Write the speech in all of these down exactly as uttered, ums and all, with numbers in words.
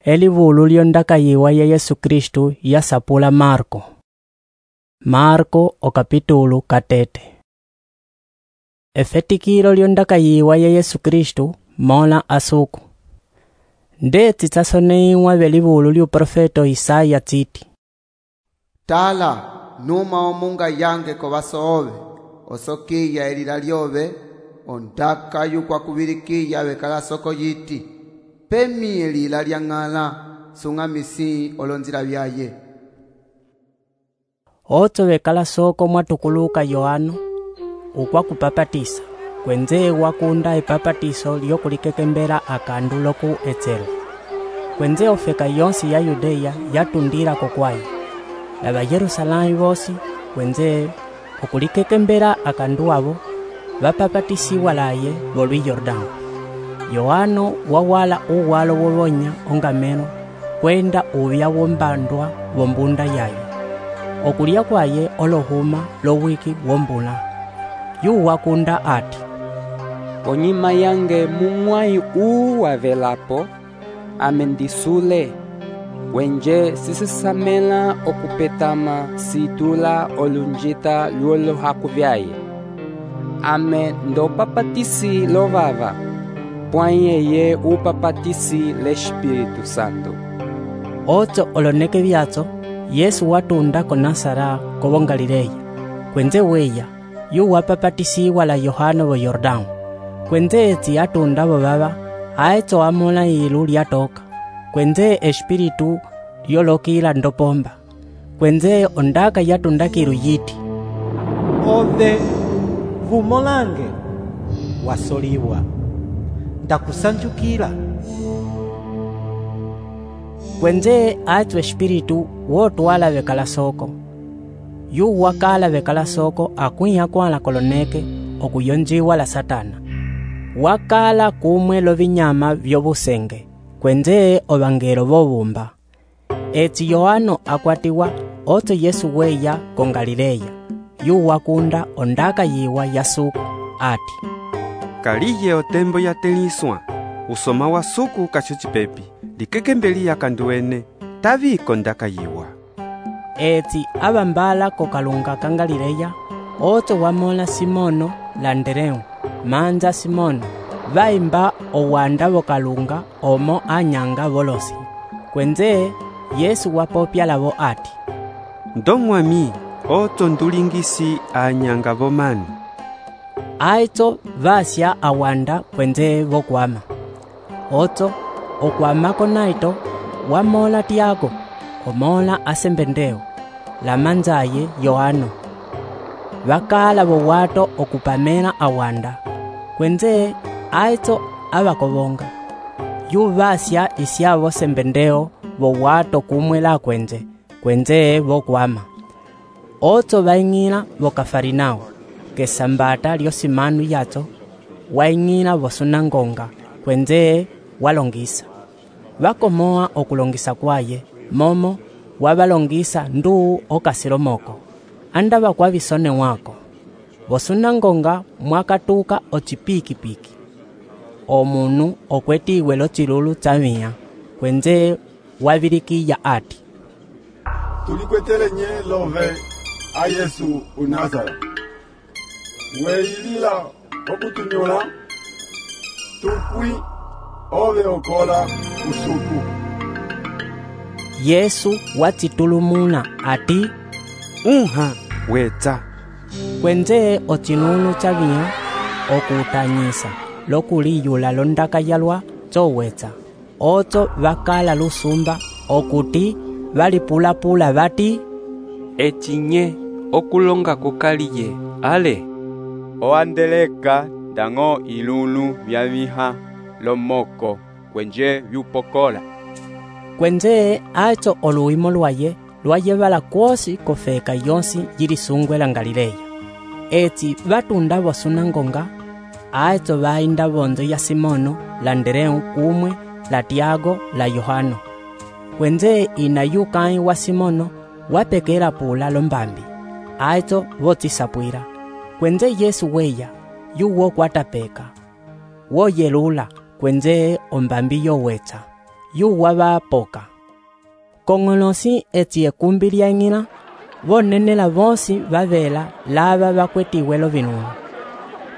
Elivulu lyondakayiwa ya Yesu Kristu yasapula Marko. Marko o capítulo katete. Efetikilo lyondakayiwa ya Yesu Kristu mola asuku. Ndeti tasoneiwa velivulu lyu profeto Isaya tsiti. Tala, numa omunga yange ko vasoove, osokiya elila lyove, ondaka yukwa kuvirikiya vekala soko yiti. Pemi elila lyang'ala, sungamisi olonzila vyaye. Otso vekala soko mwatukuluka Yohano, ukwa kupapatisa, kwenze wakunda epapatiso lyokulikekembela akandu loku etselo. Kwenze ofeka yonsi ya Yudeya yatundila kokwayi. Lava Yerusalami vosi, kwenze okulikekembela akandu avo, vapapatisiwa laye volwi Yordano. Yohano wawala uwalo wovonya ongamelo, kwenda uvya wombandwa wombunda yaye. Okulia kwaye olohuma lowiki wombula. Yu wakunda ati. Onyima yange mumwai uu wavelapo, amendisule, wenje sisisamela okupetama situla olunjita luolo hakuvyaye. Ame ndo papatisi lovava, pwanyeye upapatisi l'Espiritu Santo. Otso oloneke vyatso, Yesu watunda ko Nasara kovo Galileya. Kwenze weya, yu wapapatisiwa la Yohano vo Yordano. Kwenze etsi atunda vovava, aetso amola ilu lyatoka. Kwenze Espiritu lyolokila ndopomba. Kwenze ondaka yatunda kilu yiti. Ove, vumolange, wasoliwa, ndakusanjukila. Kwenze aetso Espiritu wotwala vekala soko. Yu wakala vekala soko akuiha kwala koloneke okuyonjiwa la Satana. Wakala kumwe lovinyama vyovusenge, kwenze ovangelo vovumba. Etsi Yohano akwatiwa otso Yesu weya ko Galileya. Yu wakunda ondaka yiwa yasuku ati. Kaliye otembo ya teliswa, usoma wa suku kachuchipepi, likekembeli ya kanduene, tavi kondaka yiwa. Etsi abambala ko kalunga ka Galileya, otso wamola Simono landereu, manza Simono, vaimba owanda vokalunga omo anyanga volosi. Kwenze Yesu wapopya lavo ati. Ndongwami, otso ndulingisi anyanga vomani. Aitso vasya awanda kwenze vokwama. Otso okwamako naito wamola Tiago, omola asembendeo, la manzaye Yohano. Vakala vowato okupamela awanda. Kwenze aitso avakovonga. Yu vasya isyavo sembendeo vowato kumwela kwenze, kwenze vokwama. Otso vaing'ila vokafarinao, kesambata lyosimanu yatso, waing'ila vosunangonga, kwenze walongisa. Vakomoa okulongisa kwaye, momo wavalongisa nduu okasilomoko. Anda vakwa visone wako. Vosunangonga mwakatuka ochipiki-piki. Omunu okwetiwe lo chilulu tsamia, kwenze wavirikiya ati. Tulikwetele nye love a Yesu unazara. Weilila okutunyola, tukwi ove okola usuku. Yesu watitulumuna ati. Unha wetsa. Kwenze ochinunu chavia okutanyisa lokuliyula londaka yalwa chowetsa. Otso vakala lusumba okuti valipulapula vati. Echinye okulonga kukaliye, ale. Oandeleka dango ilunu vyaviha lomoko kwenje vyupokola. Kwenze aitso oluimo lwaye lwayevala kwosi kofeka yonsi yilisungwe la Galileya. Etsi vatunda vosunangonga, aitso vainda vonzo ya Simono landereu kumwe la Tiago la Yohano. Kwenze ina yukai wa Simono wapekela pula lombambi, aitso votisapwira. Kwenze Yesu weya, yu wokwatapeka. Woyelula kwenze ombambi yowetsa. yuwa vapoka. Kong'olosi eti ekumbi lyang'ina, vonenela vonsi vavela lava vakwetiwe lo vinunu.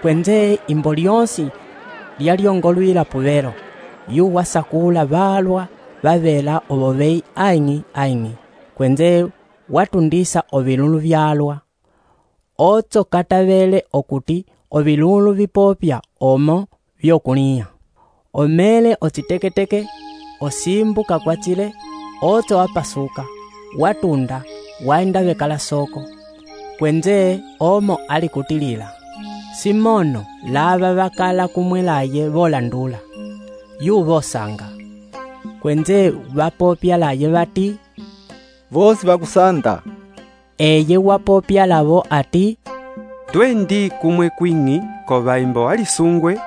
Kwenze imbo lyonsi lyalyongolwila puvero, yuwa sakula valwa vavela ovovei aing'i aing'i. Kwenze watundisa ovilulu vyalwa. Otso katavele okuti ovilulu vipopya omo vyokulia. Omele otiteketeke, osimbu kakwatile, otso apasuka, watunda, waenda vekala soko. Kwenze omo alikutilila. Simono lava vakala kumwelaye volandula. Yu vosanga. Kwenze vapopya laye vati, vosi vakusanda. Eye wapopya lavo ati, twendi kumwe kwing'i kova imbo alisungwe,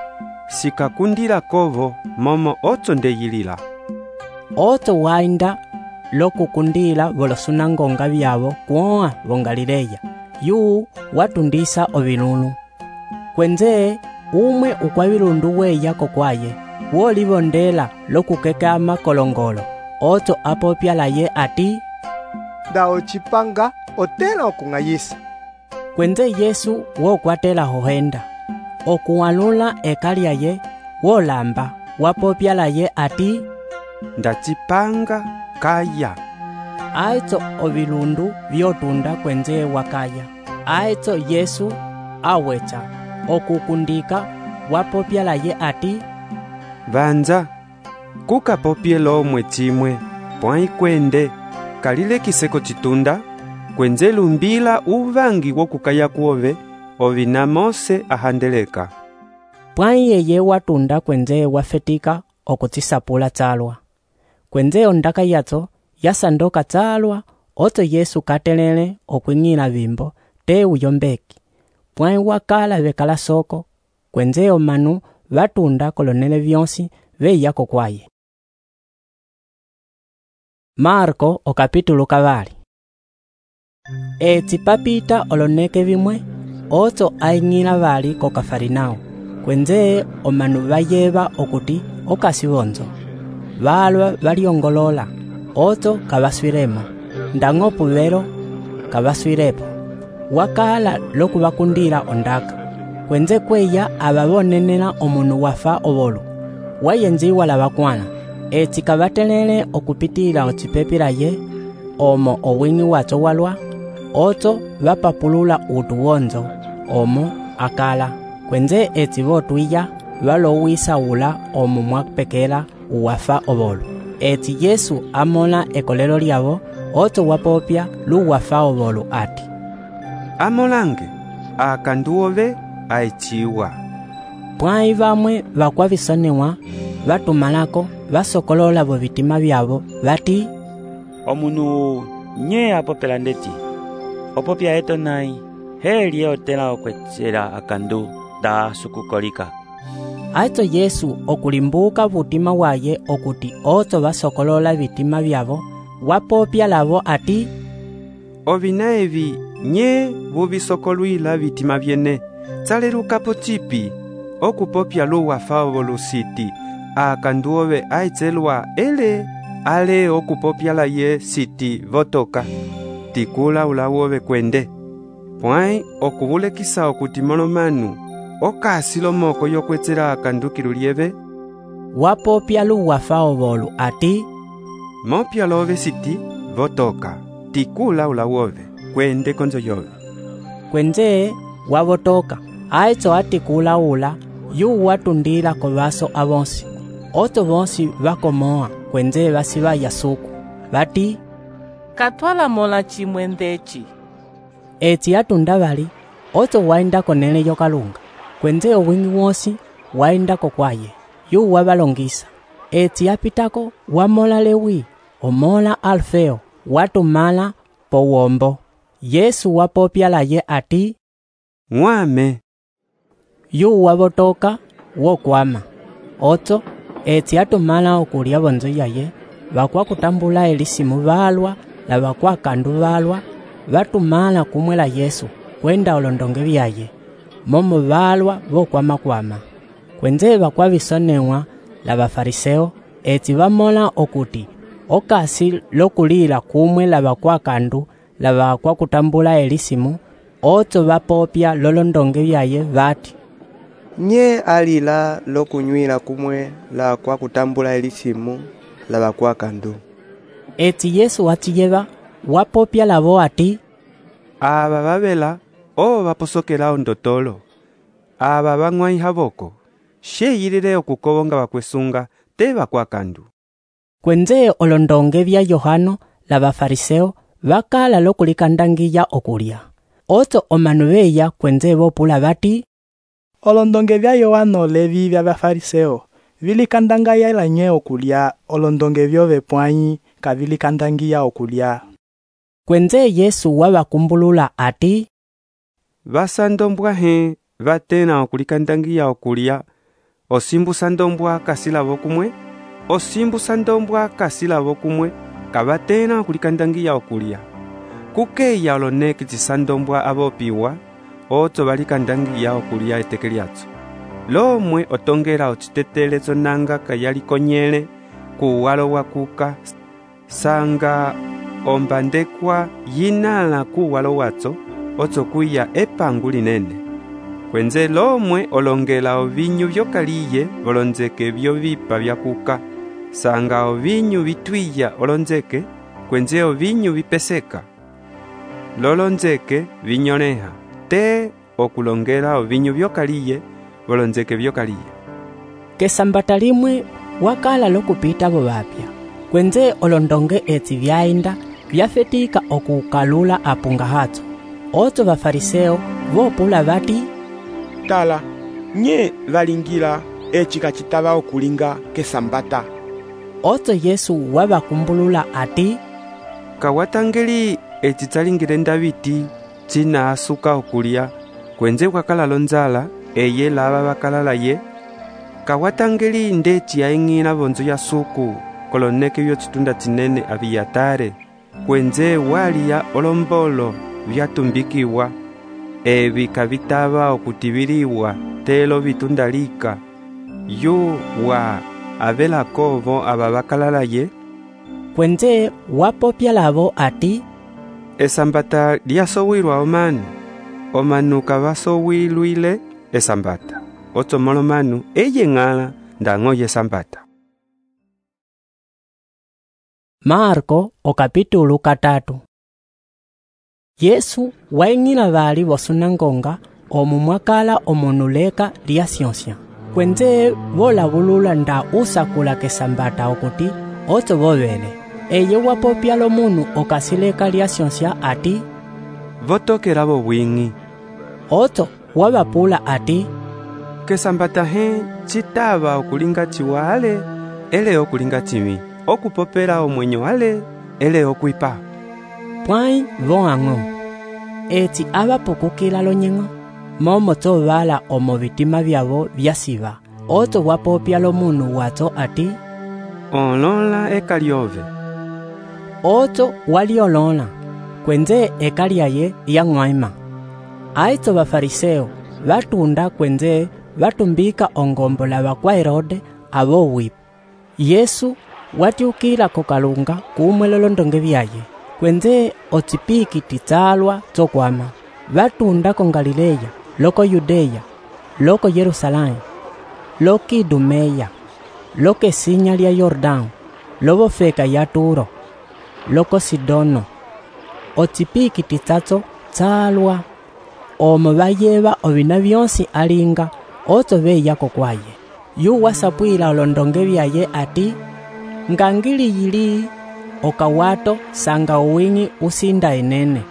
sikakundila kovo momo otso ndeyilila. Otso waenda lokukundila volosunangonga vyavo kuoa vo Galileya, yu watundisa ovilunu. Kwenze umwe ukwavilundu weya kokwaye, wolivondela lokukeka makolongolo. Otso apopya laye ati, nda ochipanga otela okung'ayisa. Kwenze Yesu wokwatela hohenda, okuwalula eka lyaye, wolamba, wapopya laye ati, ndachipanga kaya. Aitso ovilundu vyotunda kwenze wakaya. Aitso Yesu awecha okukundika, wapopya laye ati, Vanja, kukapopye lomwe chimwe, pwai kwende, kalile kiseko chitunda, kwenze lumbila uvangi wokukaya kuove, ovina Mose ahandeleka. Pwai yeye watunda kwenze wafetika okutisapula tsalwa. Kwenze ondaka yatso yasandoka tsalwa, otso Yesu katelele okwing'ila vimbo te uyombeki. Pwai wakala vekala soko, kwenze omanu vatunda kolonele vyonsi veya kokwaye. Marko o capítulo kavali. Eti papita oloneke vimwe, otso aing'ila vali ko Kafarinao. Kwenze omanu vayeva okuti okasivonzo. Valwa valyongolola, otso kavaswiremo, ndang'o puvero kavaswirepo. Wakala lokuvakundila ondaka. Kwenze kweya avavonenela omunu wafa ovolu. Wayenziwa la vakwana. Eti kavatelele okupitila otipepila ye, omo owing'i watso walwa, otso vapapulula utu wonzo, omo akala. Kwenze eti votwiya valowisa ula omo mwapekela uwafa ovolu. Eti Yesu amola ekolelo lyavo, otso wapopya luwafa ovolu ati, amolange, akanduove aichiwa. Pwai vamwe vakwavisonewa, vatumalako, vasokolola vo vitima vyavo, vati, omunu nye apopela ndeti, opopya eto nai, heli otela okwechela akandu da sukukolika. Aitso Yesu okulimbuka vutima waye okuti otso vasokolola vitima vyavo, wapopya lavo ati, ovina evi nye vuvisokolwila vitima vyene, tsalelukapo chipi, okupopya luwafa ovolusiti, akanduove aitselwa ele, ale okupopya la ye siti votoka, tikula ulawove kwende. Pwai okuvulekisa okuti molomanu, okasilo moko yokwetsela akandukilu lyeve, wapopya luwafa ovolu ati, mopya love siti votoka, tikula ulawove kwende konzo yove. Kwenze wavotoka, aitso atikula ula, yu watundila ko vaso avonsi. Otso vonsi vakomoa, kwenze vasiva yasuku, vati, katwala mola chimwendechi. Eti atunda vali, otso waenda konele yokalunga. Kwenze owing'i wonsi waenda kokwaye, yu wavalongisa. Eti apitako wamola Lewi, omola Alfeo, watumala po wombo. Yesu wapopya laye ati, ng'wame. Yu wavotoka wokwama. Otso eti atumala okulya vonzo yaye, vakwa kutambula elisimu valwa na vakwa kandu valwa, vatumala kumwela Yesu kwenda olondonge vyaye, momo valwa vokwama kwama. Kwenze vakwa visonewa la vafariseo eti vamola okuti okasi lokulila kumwe lava kwa kandu lava kwa kutambula elisimu, otso vapopya lolondonge vyaye vati, nye alila lokunywila kumwe la kwa kutambula elisimu lava kwa kandu. Eti Yesu watiyeva wapopya lavo ati, ava vavela o vaposokela ondotolo, ava vang'wai havoko, sheyilile okukovonga vakwesunga te vakwa kandu. Kwenze olondonge vya Yohano la vafariseo vakala lokulikandangiya okulya. Otso omanu veya kwenze vopula vati, olondonge vya Yohano levi vya vafariseo vilikandangaya ilanye okulya, olondonge vyo vepwanyi kavilikandangiya okulya. Kwenze Yesu wavakumbulula ati, vasandombwa he vatena okulikandangiya okulya, osimbu sandombwa kasilavo kumwe, osimbu sandombwa kasilavo kumwe, kavatena okulikandangiya okulya. Kukeya oloneki zisandombwa avopiwa, otso valikandangiya okulya eteke lyatso. Lomwe otongela ocitetelezo nanga kayalikonyele, kuwalo wakuka, sanga ombandekwa yinala kuwalo watso, otso kuya epangu linene. Kwenze lomwe olongela ovinyu vyokaliye volonzeke vyo vipa vyakuka, sanga ovinyu vitwiya olonzeke, kwenze ovinyu vipeseka. Lolonzeke vinyoneha, te okulongela ovinyu vyokaliye volonzeke vyokaliye. Kesambata limwe wakala lokupita vo vapya. Kwenze olondonge eti vyainda vyafetika okukalula apunga hatso. Otso vafariseo vopula vati, tala, nye valingila eci kacitava okulinga kesambata. Otso Yesu wavakumbulula ati, kawatangeli eci tsalingile ndaviti cina asuka okulya, kwenze wakala lonzala eye lava vakalala ye. Kawatangeli ndeci aing'ila vonzo ya suku koloneke vyo citunda cinene aviyatare, kwenze waliya olombolo vyatumbikiwa, evi kavitava okutiviliwa telo vitundalika, yu wa avelakovo ava vakalala ye. Kwenze wapopya lavo ati, esambata lyasowilwa omanu, omanu kavasowilwile esambata, otso molomanu eye ng'ala ndang'o yesambata. Marko okapitulu katatu. Yesu waing'ila vali vosunangonga omu mwakala omonuleka lya syonsya. Kwenze volavulula nda usakula kesambata okuti otso vovele. Eye wapopya lomunu okasileka lya syonsya ati, votokela vobwing'i. Otso wavapula ati, kesambata he citava okulinga ciwale, ele okulinga ciwi, okupopela omwenyo ale, ele okwipa. Pwai voang'o. Eti avapukukila lonyeng'o, momo tso vala omo vitima vyavo vyasiva. Otso wapopya lomunu watso ati, olola eka lyove. Otso waliolola, kwenze eka lyaye lyang'waima. Aitso vafariseo vatunda kwenze vatumbika ongombo lava kwa Herode avo wipu. Yesu watiukila kokalunga kumwe lolondonge vyaye, kwenze ocipiki titsalwa tsokwama. Vatunda ko Galileya, loko Yudeya, loko Yerusalemu, loko Idumeya, loko esinya lya Yordão, lovofeka ya Turo, loko Sidono. Ocipiki titsatso tsalwa, omo vayeva ovina vyonsi alinga, otso veya kokwaye. Yu wasapwila olondonge vyaye ati, ngangili yili okawato sanga uwing'i usinda enene,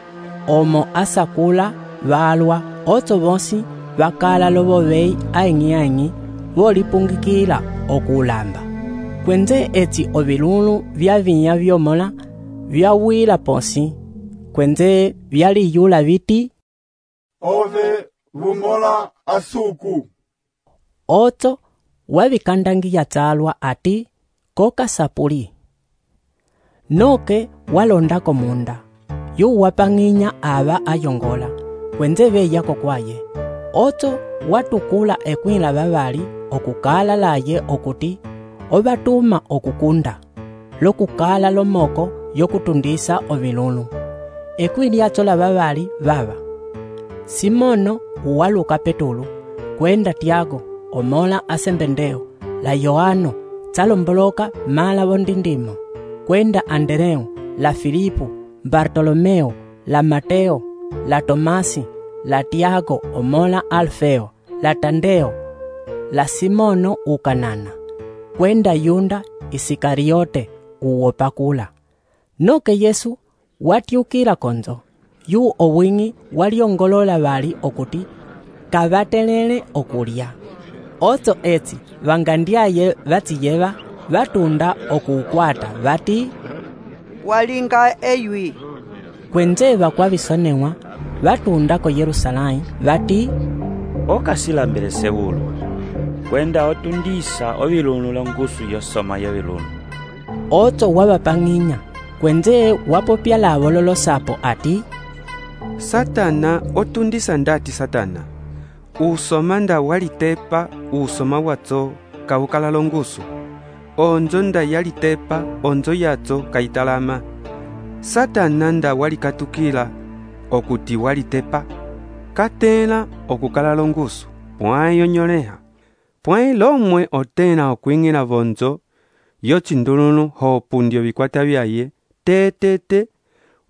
omo asakula valwa, otso vonsi vakala lovovei aing'i-aing'i volipungikila okulamba. Kwenze eti ovilulu vya vinya vyomola vyawila ponsi, kwenze vyaliyula viti, ove vumola asuku. Otso wavikandangiya tsalwa ati, koka sapuli. Noke walondako munda, yu wapang'inya ava ayongola, kwenze veya kokwaye. Otso watukula ekwila vavali okukala laye okuti ovatuma okukunda lokukala lomoko yokutundisa ovilulu. Ekwi lyatso la vavali vava: Simono uwaluka Petulu, kwenda Tiago omola asembendeo, la Yohano tsalomboloka mala vondindimo, kwenda Andereo, la Filipo, Bartolomeo, la Mateo, la Tomasi, la Tiago omola Alfeo, la Tandeo, la Simono ukanana, kwenda Yunda Isikariote uwopakula. Noke Yesu watyukila konzo, yu owingi waliongolola vali okuti kavatelele okulya. Otso etsi vangandyaye vatsiyeva vatunda okuukwata vati walinga eywi. Kwenze vakwavisonewa vatunda ko Yerusalemu vati okasilambele Sewulu, kwenda otundisa ovilunu longusu yosoma yovilunu. Otso wavapang'inya kwenze wapopya lavo lolosapo ati Satana otundisa ndati Satana, usoma nda walitepa usoma watso kawukala longusu, onzo nda yalitepa onzo yatso kaitalama. Satana nda walikatukila okuti walitepa katela okukala longusu, pwai yonyoleha, pwai lomwe otena okwingila vonzo yochindulunu hopundio vikwata vyaye tetete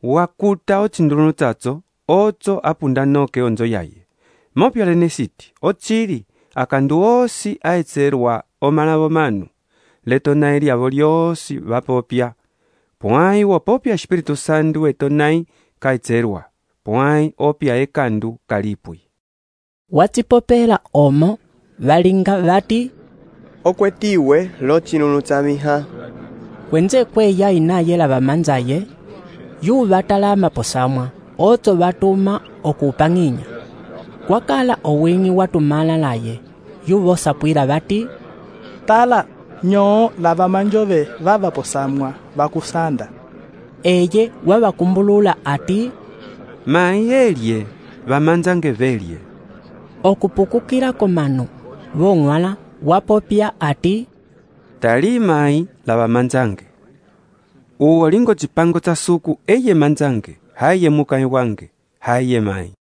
wakuta ochindulunu tsatso otso apunda noke onzo yaye. Mopyalene siti ochili akandu osi aetserwa omalavo manu letonai lyavo lyosi vapopya, pwai wopopya Espiritu Santu etonai kaetserwa, pwai opya ekandu kalipwi. Watsipopela omo valinga vati okwetiwe lochinunu tsamiha. Kwenze kweya inaye la vamanzaye yu vatalama posamwa, otso vatuma okupang'inya. Kwakala owingi watumala laye yu vosapwila vati tala nyoo la vamanjove vava posamwa vakusanda. Eye wavakumbulula ati mai elye vamanzange velye. Okupukukila komanu vong'wala wapopya ati tali mai la vamanzange. Uwo lingo chipango tsa suku eye manzange, haye mukai wange, haye mai.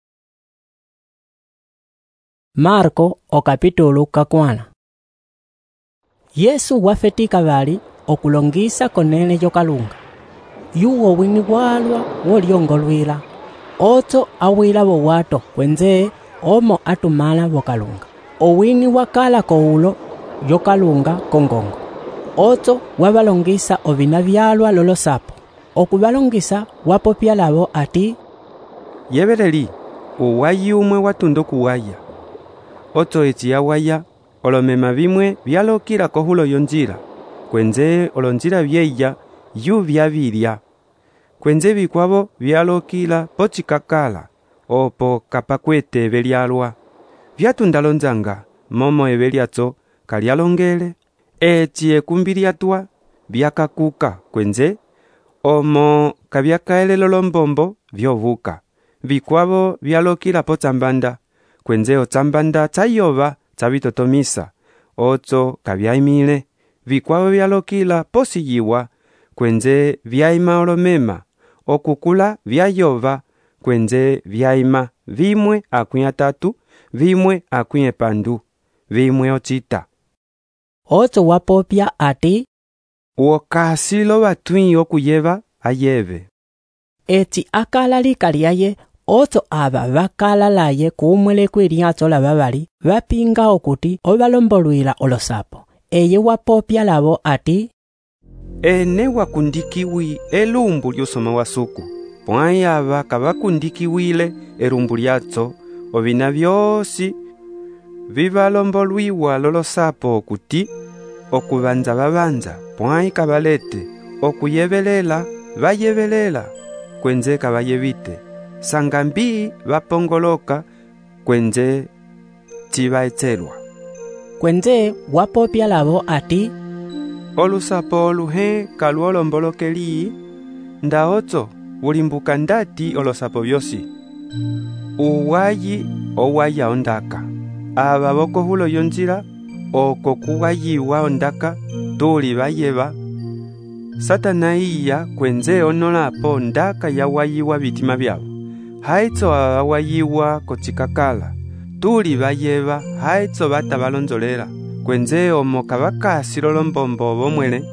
Marko okapitulu kakwala. Yesu wafetika vali okulongisa konele yokalunga. Yuwo wingi walwa wolyongolwila, otso awila wowato kwenze omo atumala wokalunga. Owingi wakala koulo yokalunga kongongo. Otso wavalongisa ovina vyalwa lolosapo, okuvalongisa wapopya lavo ati yeveleli uwayi umwe watundo kuwaya. Otso etsi yawaya olomema vimwe vyalokila kohulo yonjila, kwenze olonjila vyeya yu vyavilya, kwenze vikwavo vyalokila pochikakala opo kapakwete eve lyalwa. Vyatunda lonzanga momo eve lyatso kalyalongele, etsi ekumbi lyatwa vyakakuka kwenze omo kavyakaelelo lombombo vyovuka. Vikwavo vyalokila potsambanda, kwenze otsambanda tsayova tsavitotomisa, otso kavyaimile. Vikwavo vyalokila posiyiwa, kwenze vyaima olomema, okukula vyayova, kwenze vyaima vimwe akwi atatu, vimwe akwi epandu, vimwe ochita. Otso wapopya ati wokasilo vatwi okuyeva ayeve. Etsi akala likalyaye, otso ava vakala laye kumwele kwilyatso la vavali vapinga okuti ovalombolwila olosapo. Eye wapopya lavo ati ene wakundikiwi elumbu lyosoma wasuku, pwai ava kavakundikiwile elumbu lyatso ovina vyosi vivalombolwiwa lolosapo okuti okuvanza vavanza, pwai kavalete okuyevelela vayevelela, kwenze kavayevite sangambi vapongoloka, kwenze chivaetselwa. Kwenze wapopya lavo ati olusapo oluhe kaluolombolokeli nda otso ulimbuka ndati olosapo vyosi. Uwayi owaya ondaka, ava vokohulo yonjila oko kuwayiwa ondaka tuli vayeva Satana iya kwenze onolapo ndaka yawayiwa vitima vyavo haitso awayiwa kochikakala tuli vayeva haitso vata valonzolela kwenze omo kavakasi lolombombo vomwele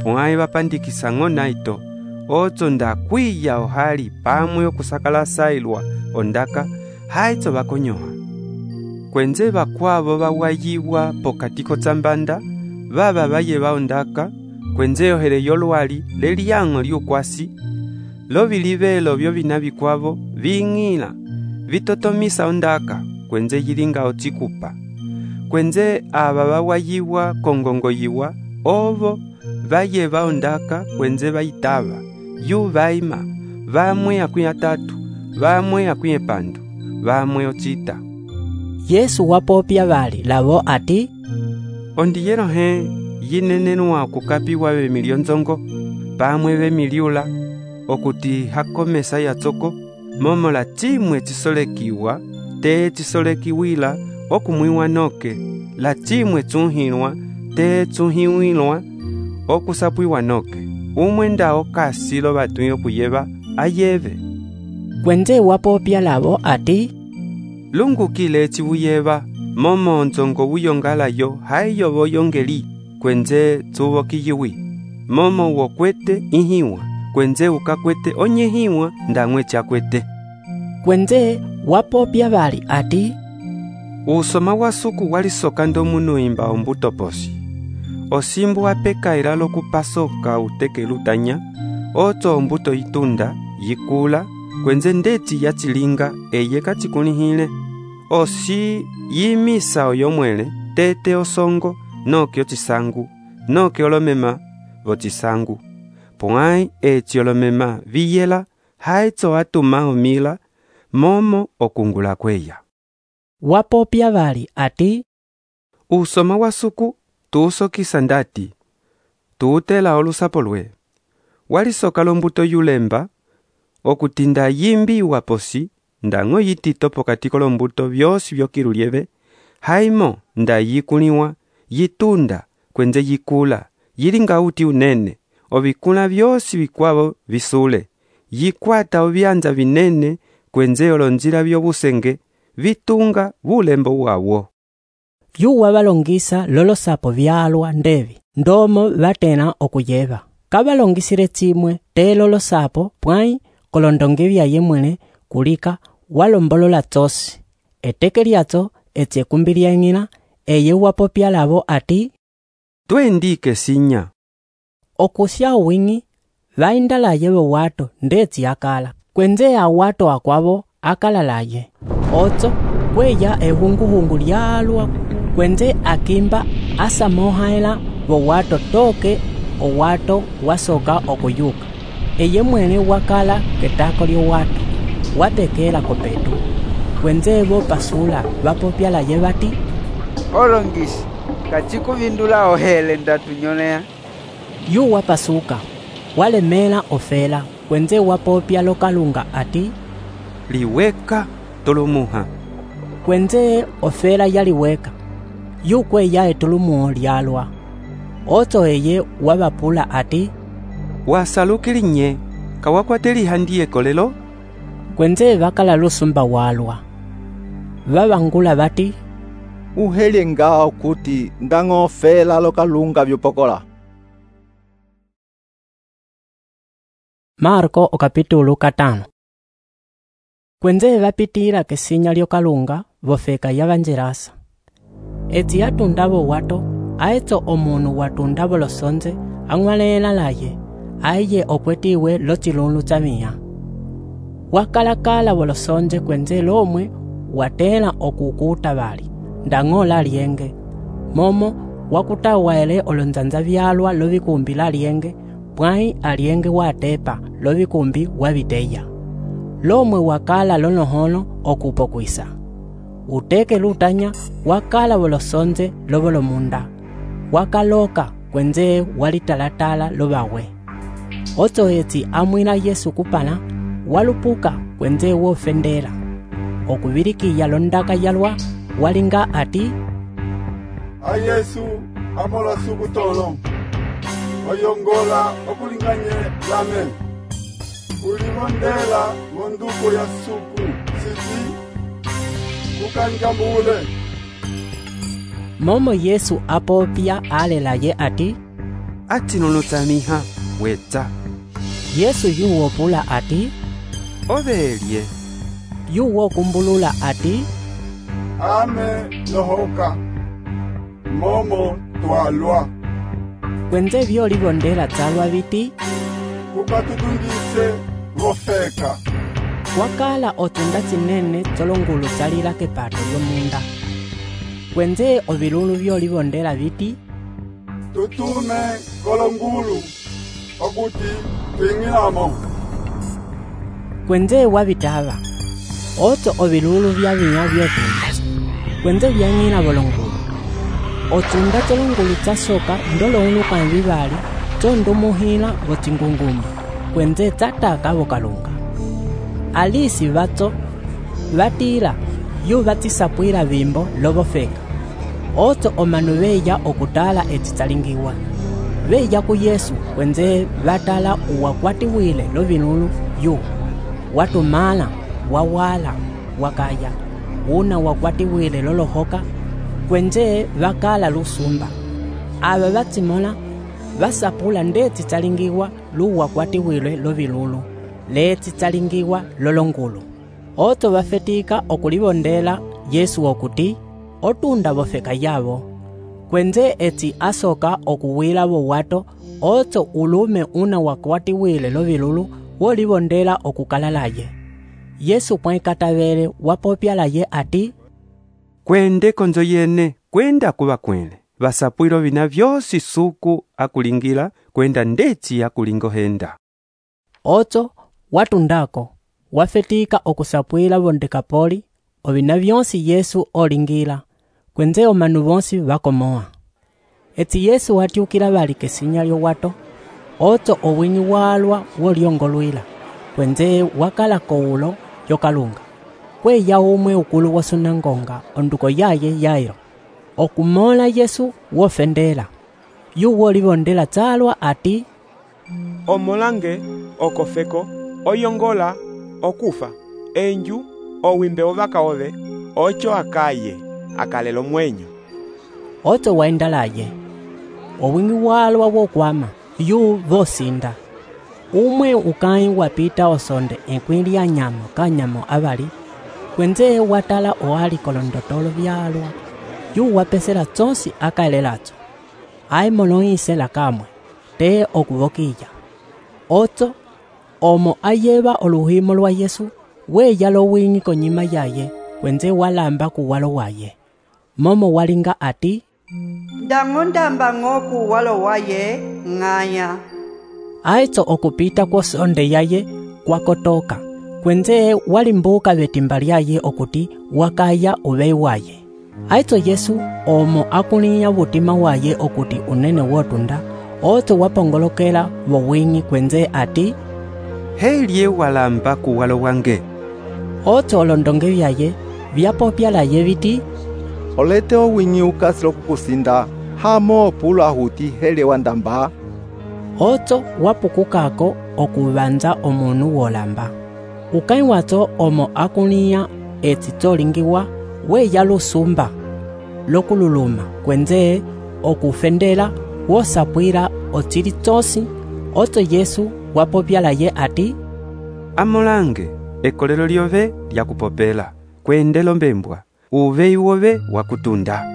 pwai vapandikisa ng'o naito otso ndakwiya ohali pamwe okusakala sailwa ondaka haitso vakonyoha kwenze vakwavo vawayiwa pokati kotsambanda vava vayeva ondaka kwenze ohere yolwali leliang'o lyukwasi lovilivelo vyo vina vikwavo ving'ila vitotomisa ondaka kwenze yilinga ochikupa kwenze ava vawayiwa kongongoyiwa ovo vayeva ondaka kwenze vayitava yu vaima vamwe akwi atatu vamwe akwi epandu vamwe ocita. Yesu wapopya vali lavo ati ondiyelo he yinenenwa okukapiwa vemilyo nzongo pamwe vemiliula okuti hakomesa yatsoko momo la chimwe chisolekiwa te chisolekiwila okumwiwa noke la chimwe chunhilwa te chunhiwilwa okusapwiwa noke umwe ndao kasi lo vatwi okuyeva ayeve kwenze wapopya lavo ati lungukile chivuyeva momo nzongo wuyongalayo haiyo voyongeli kwenze tsuvokiyiwi momo wokwete ihiwa kwenze ukakwete onyehiwa ndamwe chakwete kwenze wapopya vali ati usoma wa suku walisoka ndomunu imba ombuto posi osimbu wapekaila lokupasoka uteke lutanya otso ombuto itunda yikula kwenze ndeti yachilinga eye kachikunihile osi yimisa oyomwele tete osongo noke ochisangu noke olomema vochisangu pwai eci olomema viyela haitso atuma omila momo okungula kweya wapopya vali ati usoma wa suku tuusokisa ndati tuutela olusapo lwe walisoka lombuto yulemba okutinda yimbiwa posi ndang'o yitito pokati kolombuto vyosi vyokilulieve haimo nda yikuliwa yitunda kwenze yikula yilinga uti unene ovikula vyosi vikwavo visule yikwata ovyanza vinene kwenze olonzila vyobusenge vitunga bulembo wawo yuwa valongisa lolosapo vyalwa ndevi ndomo vatena okuyeva kavalongisile chimwe te lolosapo pwai kolondonge vya yemwele kulika walombolola tsosi eteke lyatso etsiekumbi lyang'ila eye wapopya lavo ati twendike sinya okusya uwing'i vaindalaye vowato ndetsi akala kwenze awato akwavo akalalaye otso kweya ehunguhungu lyalwa kwenze akimba asamohaela vowato toke owato wasoka okuyuka eye mwene wakala ketako lyowato watekela kopetu kwenze vopasula vapopyalaye vati olongisi kachikuvindula ohele ndatunyolea yu wapasuka walemela ofela kwenze wapopya lokalunga ati liweka tolumuha kwenze ofela yaliweka yu kweya etolumuho lyalwa otso eye wavapula ati wasalukilinye kawakwate lihandiye kolelo kwenze vakala lusumba walwa vavangula vati uhelye ngao kuti ndang'o ofela lokalunga vyopokola. Marko okapitulu katano kwenze vapitila kesinya lyokalunga vofeka yavanjelasa eti yatundavo wato aetso omunu watundavo losonze ang'walela laye aiye okwetiwe lochilunlu chamiya wakalakala volosonze kwenze lomwe watela okukuta vali ndang'ola lienge momo wakutawaele olonzanza vyalwa lovikumbi la lienge pwai alienge watepa lovikumbi waviteya lomwe wakala lonoholo okupokwisa uteke lutanya wakala volosonze lovolomunda wakaloka kwenze walitalatala lovawe otso etsi amwila Yesu kupala walupuka kwenze wofendela okuvilikiya londaka yalwa walinga ati a Yesu amola sukutolo oyongola okulinganye lame ulivondela monduko ya suku sisi kukankambule. Momo Yesu apopya alelaye ati atinulutsamiha wetsa. Yesu yuwopula ati ovelye. Yuwokumbulula ati ame lohoka momo twalwa. Kwenze vyolivondela tsalwa viti kukatutungise vofeka. Wakala otunda tsinene tsolongulu tsalila kepato yomunda. Kwenze ovilulu vyolivondela viti tutume kolongulu okuti twing'ilamo. Kwenze wavitava oto ovilulu vya vinya vyotunda. Kwenze vyang'ila volongulu. Otunda tsolongulu tsasoka ndolo kanvivali tsondumuhila votsingungumba. Kwenze tsataka vokalunga. Alisi vatso vatila yu vatisapwila vimbo lovofeka. Oto omanu veya okutala etitsalingiwa. Veya ku Yesu kwenze vatala uwakwatiwile lovinulu yu. Watumala, wawala, wakaya. Una wakwatiwile lolohoka. Kwenze vakala lusumba. Ava vatimola vasapula ndeti tsalingiwa lu wakwatiwile lovilulu. Leti tsalingiwa lolongulu. Oto vafetika okulivondela Yesu okuti otunda vofeka yavo. Kwenze eti asoka okuwila vo wato oto ulume una wakwatiwile lovilulu wolivondela okukalalaye. Yesu pwekatavele wapopyalaye ati kwende konzo yene kwenda kuva kwele. Vasapwilo vina vyosi suku akulingila kwenda ndeti akulingohenda. Oto watundako wafetika okusapwila vondekapoli ovina vyonsi Yesu olingila. Kwenze omanu bonsi vakomoa. Eti Yesu watyukila vali kesinya lyo wato. Oto owinyi walwa wolyongolwila. Kwenze wakala koulo yokalunga. Kwe ya umwe ukulu wasunangonga onduko yaye yairo. Okumola Yesu wofendela. Yu wolivondela tsalwa ati omolange okofeko oyongola okufa enju owimbe ovaka ove ocho akaye akalelo mwenyo. Oto waendalaye owingi walwa wokwama yu vosinda. Umwe ukai wapita osonde enkwili ya nyamo kanyamo avali. Kwenze watala oali kolondotolo vyalwa. Yu wapesela tsonsi akalelacho. Ai moloise la kamwe te okuvokilla. Oto omo ayeva oluhimo lwa Yesu weya lowingi konyima yaye. Kwenze walamba kuwalo waye. Momo walinga ati ndang'ondamba ng'oku walo waye ng'aya. Aitso okupita kwa sonde yaye kwakotoka. Kwenze walimbuka vetimba lyaye okuti wakaya uvei waye. Aitso Yesu omo akulinya vutima waye okuti unene wotunda. Oto wapongolokela vowingi kwenze ati helye walamba kuwalo wange. Oto olondonge vyaye vyapopyalaye viti olete owinyi ukasilo kukusinda hamo pula huti hele wandamba. Oto wapukukako okuvanza omunu wolamba. Ukai wato omo akulinya eti tolingiwa weya lusumba lokululuma. Kwenze okufendela wosapwila otili tosi. Oto Yesu wapopyalaye ati amolange ekolelo lyove lyakupopela kwendelo mbembwa uvei wove wakutunda.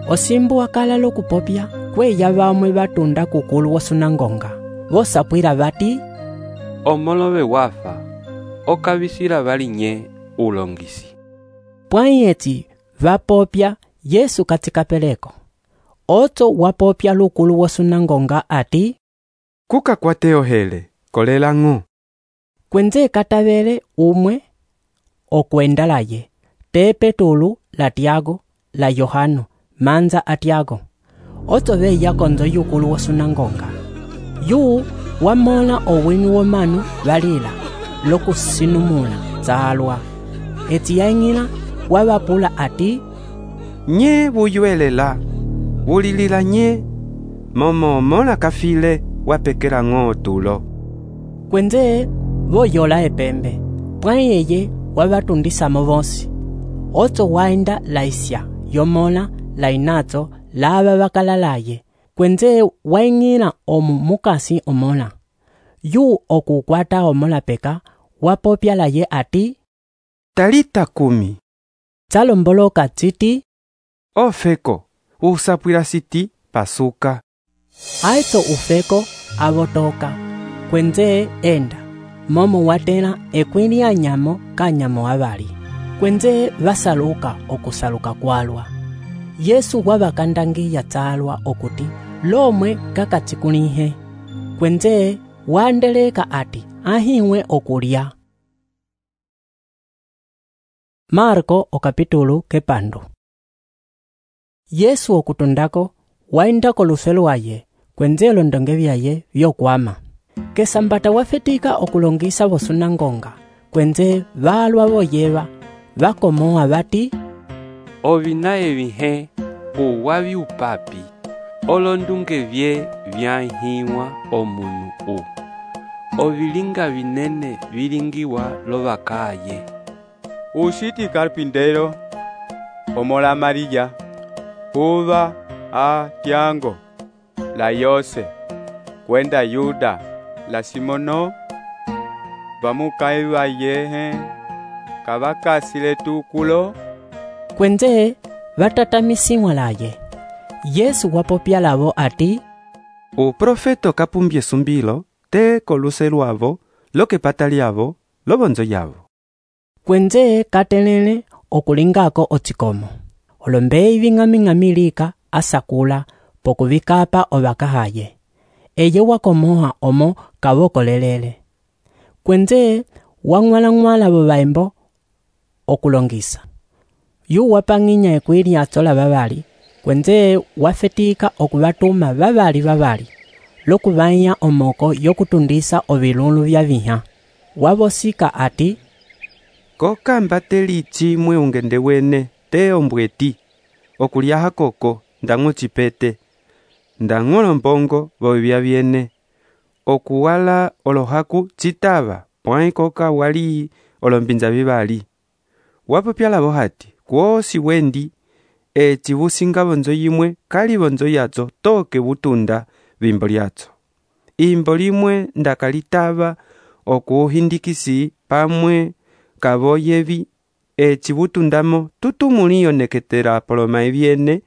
Osimbu wakala lokupopya kweya vamwe vatunda kukulu wasunangonga. Vosapwila vati omolove wafa okavisila valinye ulongisi. Pwai eti vapopya Yesu katikapeleko. Oto wapopya lukulu wasunangonga ati kuka kwateo hele kolela ng'o. Kwenze katavele umwe okwendalaye te Petulu la Tiago la Yohano manza atiago. Oto veya konzo yukulu wasunangonga. Yu wamola owingi womanu valila lokusinumula tsalwa. Eti yaingila wavapula ati nye vuyuelela vulilila nye momo omola kafile wapekela ng'o tulo. Kwenze voyola epembe, pwai eye wavatundisamo vonsi. Otso waenda laisya yomola lainato lava vakalalaye, kwenze waing'ila omu mukasi omola. Yu okukwata omola peka, wapopya laye ati, Talita kumi. Tsalomboloka tsiti, Ofeko, usapwila siti pasuka. Aitso ufeko avotoka, kwenze enda, momo watela ekwili anyamo kanyamo avali. Kwenze vasaluka okusaluka kwalwa. Yesu wavakandangiya tsalwa okuti, lomwe kakatsikulihe. Kwenze waandeleka ati, ahiwe okulya. Marko okapitulu kepandu. Yesu okutundako, waindako lufelo waye, kwenze londonge vyaye vyokwama. Kesambata wafetika okulongisa vosunangonga, kwenze valwa voyeva, vakomoa vati, Ovina evihe uwavi upapi, olondunge vye vyanhiwa omunu u. Ovilinga vinene vilingiwa lovakaye. Ushiti carpintero, omola María, uva a Tiago, la Yose, kwenda Yuda, la Simono, vamukaiva yehe, kavakasile tukulo. Kwenze vatatamisiwa laye. Yesu wapopya lavo ati, Uprofeto kapumbye sumbilo, te koluse luavo, lo que pataliavo, lo bonzo yavo. Kwenze katelele okulingako otsikomo. Olombei ving'aming'amilika asakula pokuvikapa ovakahaye. Eye wakomoha omo kavokolelele. Kwenze wang'wala-ng'wala vovaembo okulongisa. Yu wapang'inya ekwili atsola vavali, kwenze wafetika okuvatuma vavali vavali, lokuvanya omoko yokutundisa ovilulu vya viha. Wavosika ati, Kokamba teli chimwe ungende wene, te ombweti, okulyaha koko, ndang'o chipete, ndang'o lombongo vovya viene, okuwala olohaku chitava, pwai koka wali olombinza vivali. Wapopya lavo hati, kwosi wendi, eci vusinga vonzo yimwe, kali vonzo yadzo, toke vutunda vimbo lyatso. Imbo limwe ndakalitava okuhindikisi pamwe kavoyevi, eci vutundamo tutumuliyo neketera poloma eviene,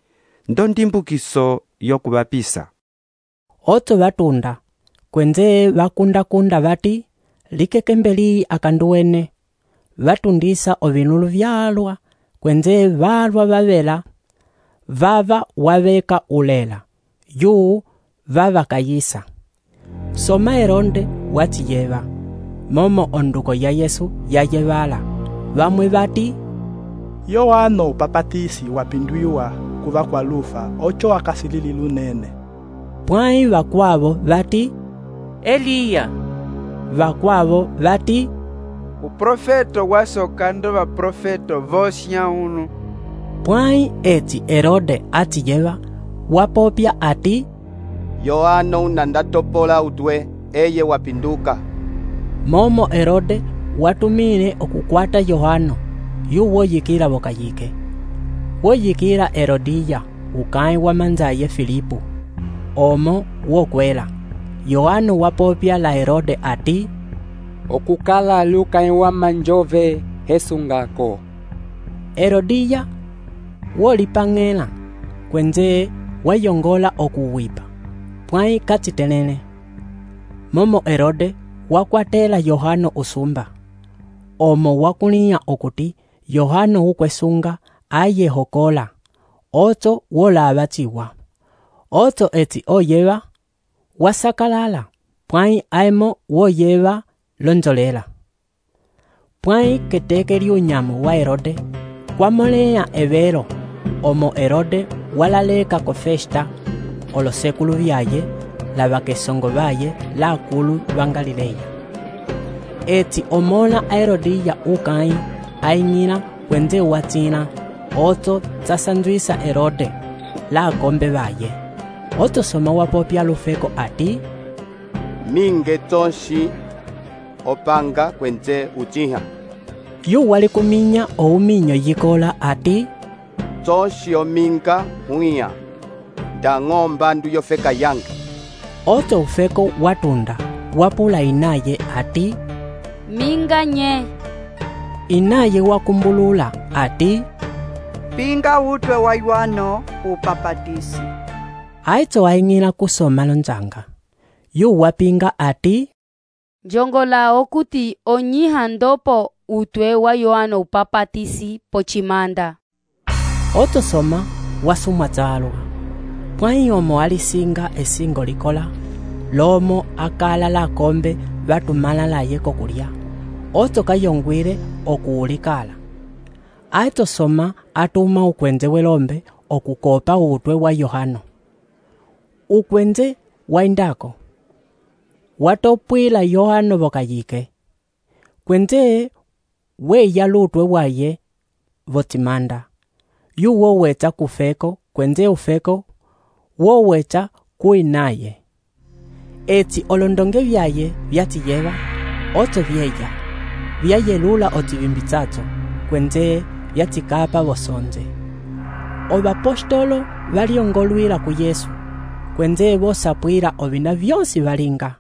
ndondimbukiso yokuvapisa. Otso vatunda, kwenze vakunda-kunda vati, likekembeli akanduwene, vatundisa ovinulu vyalwa, kwenze valwa vavela, vava waveka ulela, yu vava kayisa. Soma Heronde watiyeva, momo onduko ya Yesu yayevala, vamwe vati, Yohano upapatisi wapindwiwa kuva kwa lufa, ocho akasilili lunene. Pwai vakwavo vati, Eliya. Vakwavo vati, Uprofeto wasokando vaprofeto vosnya uno. Pwai eti Herode atiyeva, wapopya ati, Yohano unandatopola utwe, eye wapinduka. Momo Herode watumile okukwata Yohano, yu woyikila vokayike. Woyikila Herodiya, ukai wa manzaye Filipu. Omo wokwela. Yohano wapopya la Herode ati, okukala lukai wa manjove hesungako. Herodiya wolipang'ela, kwenze wayongola okuwipa, pwai katsitelele. Momo Herode wakwatela Yohano usumba. Omo wakuliya okuti Yohano ukwesunga aye hokola, otso wolavatsiwa. Otso eti oyeva, wasakalala, pwai aemo woyeva lonzolela. Pwai keteke liunyamu wa Herode, kwamoleya evero, omo Herode walaleka kofesta, olosekulu vyaye, lavakesongo vaye, la akulu vangalileya. Eti omola a Herodiya ukai, aing'ila kwenze watsina, otso tsasanzwisa Herode, la akombe vaye. otosoma wapopya lufeko ati, minge tonshi opanga kwenze uchiha. Yu wali kuminya ouminyo yikola ati, tonshi ominga huia nda ng'omba ndu yofeka yanga. Oto ufeko watunda wapula inaye ati, minga nye. Inaye wakumbulula ati, pinga utwe wa Yohano upapatisi. Aito aing'ila kusoma lonjanga. Yu wapinga ati, njongola okuti onyiha ndopo utwe wa Yohano upapatisi pochimanda. Otosoma wasumwa zalwa. Pwai omo alisinga esingo likola, lomo akala la kombe batumala la yeko kulia. Oto kayongwire okuulikala. Aitosoma atuma ukwenze welombe okukopa utwe wa Yohano. Ukwenze waindako. Watopwila Yohano bokayike. Kwenze we yalutwe waye votimanda. Yu woweta kufeko, kwenze ufeko, woweta kuinaye. Eti olondonge vyaye vyatiyeva, oto vyeya. Vyayelula otivimbitsato, kwenze vyatikapa bosonze. Obapostolo valiongolwila ku Yesu, kwenze bosapwila obina vyonsi valinga.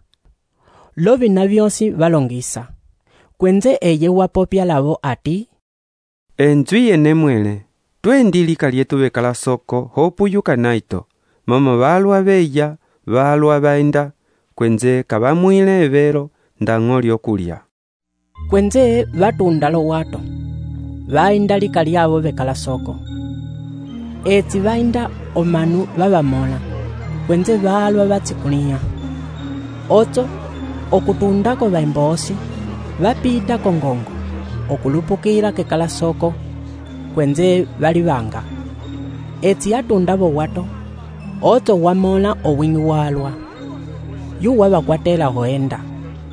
Lo bina vyonsi valongisa. Kwenze eye wapopya lavo ati, Enzwi yene mwele, twendilika lietu bekala soko hopuyuka naito, mama balwa beya, balwa baenda, kwenze kabamwile evero ndang'oli okulya. Kwenze batunda lo wato, bainda lika lyabo bekala soko. Eti bainda omanu babamola, kwenze balwa batikunia. Oto, okutundako baimbosi, bapita kongongo, okulupukira kekala soko, kwenze balibanga. Eti atundabo wato, oto wamola owingi walwa. Yu wabakwatela hoenda,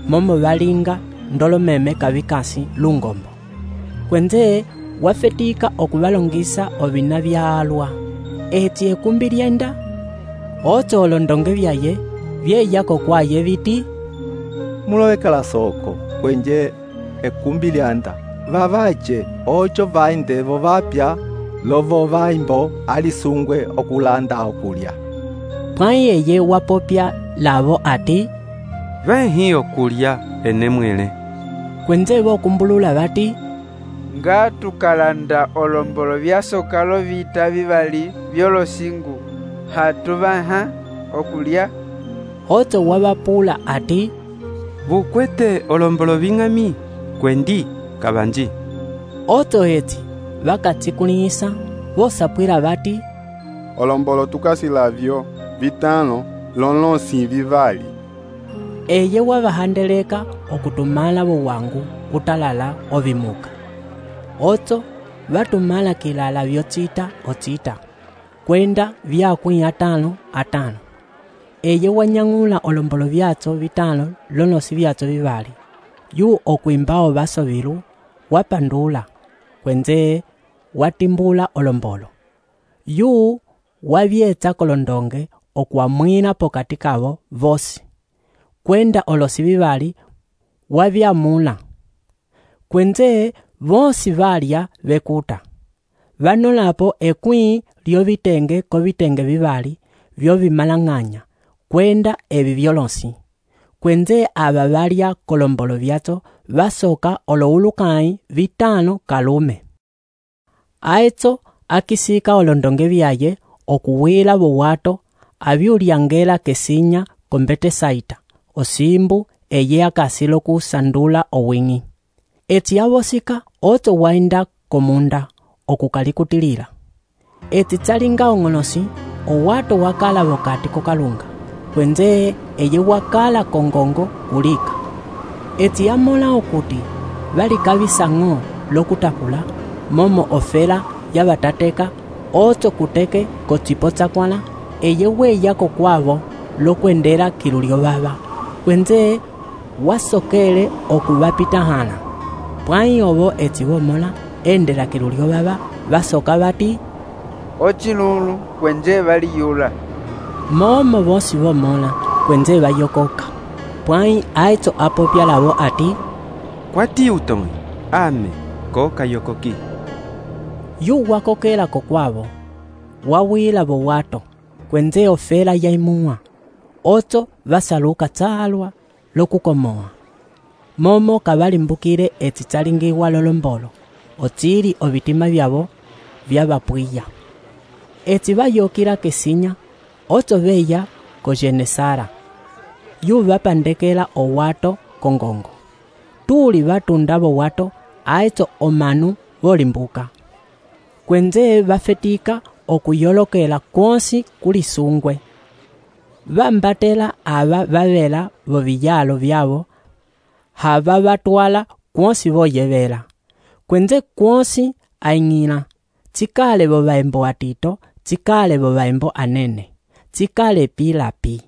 momo balinga ndolo meme kabikasi lungombo. Kwenze wafetika okubalongisa obina byalwa. Eti ekumbi lyenda, oto olondonge byaye, byeyako kwaye biti, mulowekala soko kwenje ekumbi lyanda vavaje ocho vaindevo vapya lovo vaimbo alisungwe okulanda okulya. Pwai eye wapopya lavo ati, Venhi okulya ene mwele. Kwenze bokumbulula bati, nga tukalanda olombolo byasokalo vita bibali byolosingu hatubaha okulya. Oto wabapula ati, bukwete olombolo bing'ami kwendi kabanji. Oto eti bakatikunisa bosapwila bati, olombolo tukasilavyo vitano lonlosi vivali. Eye wabahandeleka okutumala bowangu utalala ovimuka. Oto batumala kilala vyotita otita, kwenda vyakwi atano atano. Eye wanyang'ula olombolo vyatso vitano lonosi vyatso vivali. Yu okwimbao baso bilu, wapandula, kwenze watimbula olombolo. Yu wabyetsa kolondonge okuamwina pokati kabo vosi. Kwenda olosi bibali wabyamula. Kwenze vosi balya bekuta. Vanolapo ekwi lyo bitenge ko bitenge bibali byo bimalang'anya. Kwenda ebi byolonsi. Kwenze aba balya kolombolo byato basoka oloulukai vitano kalume. Aetso akisika olondonge byaye okuwila bowato abyulyangela kesinya kombete saita. Osimbu eye akasilo kusandula owingi. Eti abosika oto wainda komunda okukalikutilila. Eti tsalinga ongonosi owato wakala bokati kokalunga. Kwenze eye wakala kongongo ulika. Eti amola okuti bali kabisango lokutapula momo ofela yabatateka oto kuteke kochipotsa kwana eye weya kokwabo lokwendera kilulio baba. Kwenze wasokele okubapita hana. Pwai obo eti bomola endera kilulio baba basoka bati, ochilulu kwenje baliyula. momo vosi vomola kwenze vayokoka. Pwãyi aitso apopya lavo ati, kwati utõe ame koka yokoki. Yu wakokela kokwavo wawila vo wato kwenze ofela yaimuwa. Otso vasaluka tsalwa lokukomoa. Momo kavalimbukile etsi tsalingiwa lolombolo otsili ovitima vyavo vyavapwiya. Etsi vayokila kesinya otso veya ko Genesara. Yu vapandekela owato kongongo. Tuli vatunda vo wato aitso omanu volimbuka. Kwenze vafetika okuyolokela kwonsi kulisungwe. Vambatela ava vavela vo viyalo vyavo hava vatwala kwonsi voyevela. Kwenze kwonsi aing'ila, tsikale vo vaembo atito, tsikale vo vaembo anene, tsikale pilapi.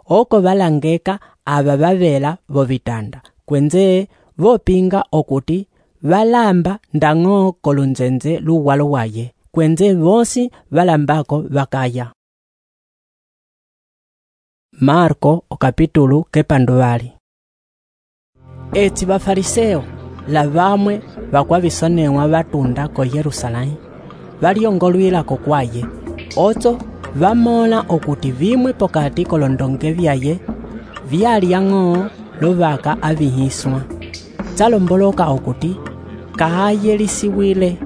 Oko valangeka ava vavela vo vitanda, kwenze vopinga okuti valamba ndang'o kolunzenze luwalo waye, kwenze vosi valambako vakaya. Marko okapitulu kepanduvali. Etsi bafariseo la vamwe vakwavisonewa vatunda ko Yerusalemu valiongolwila kokwaye. Otso vamola okuti vimwe pokati kolondonge vyaye vyaliang'o lovaka avihiswa. Tsalomboloka okuti kahayelisiwile.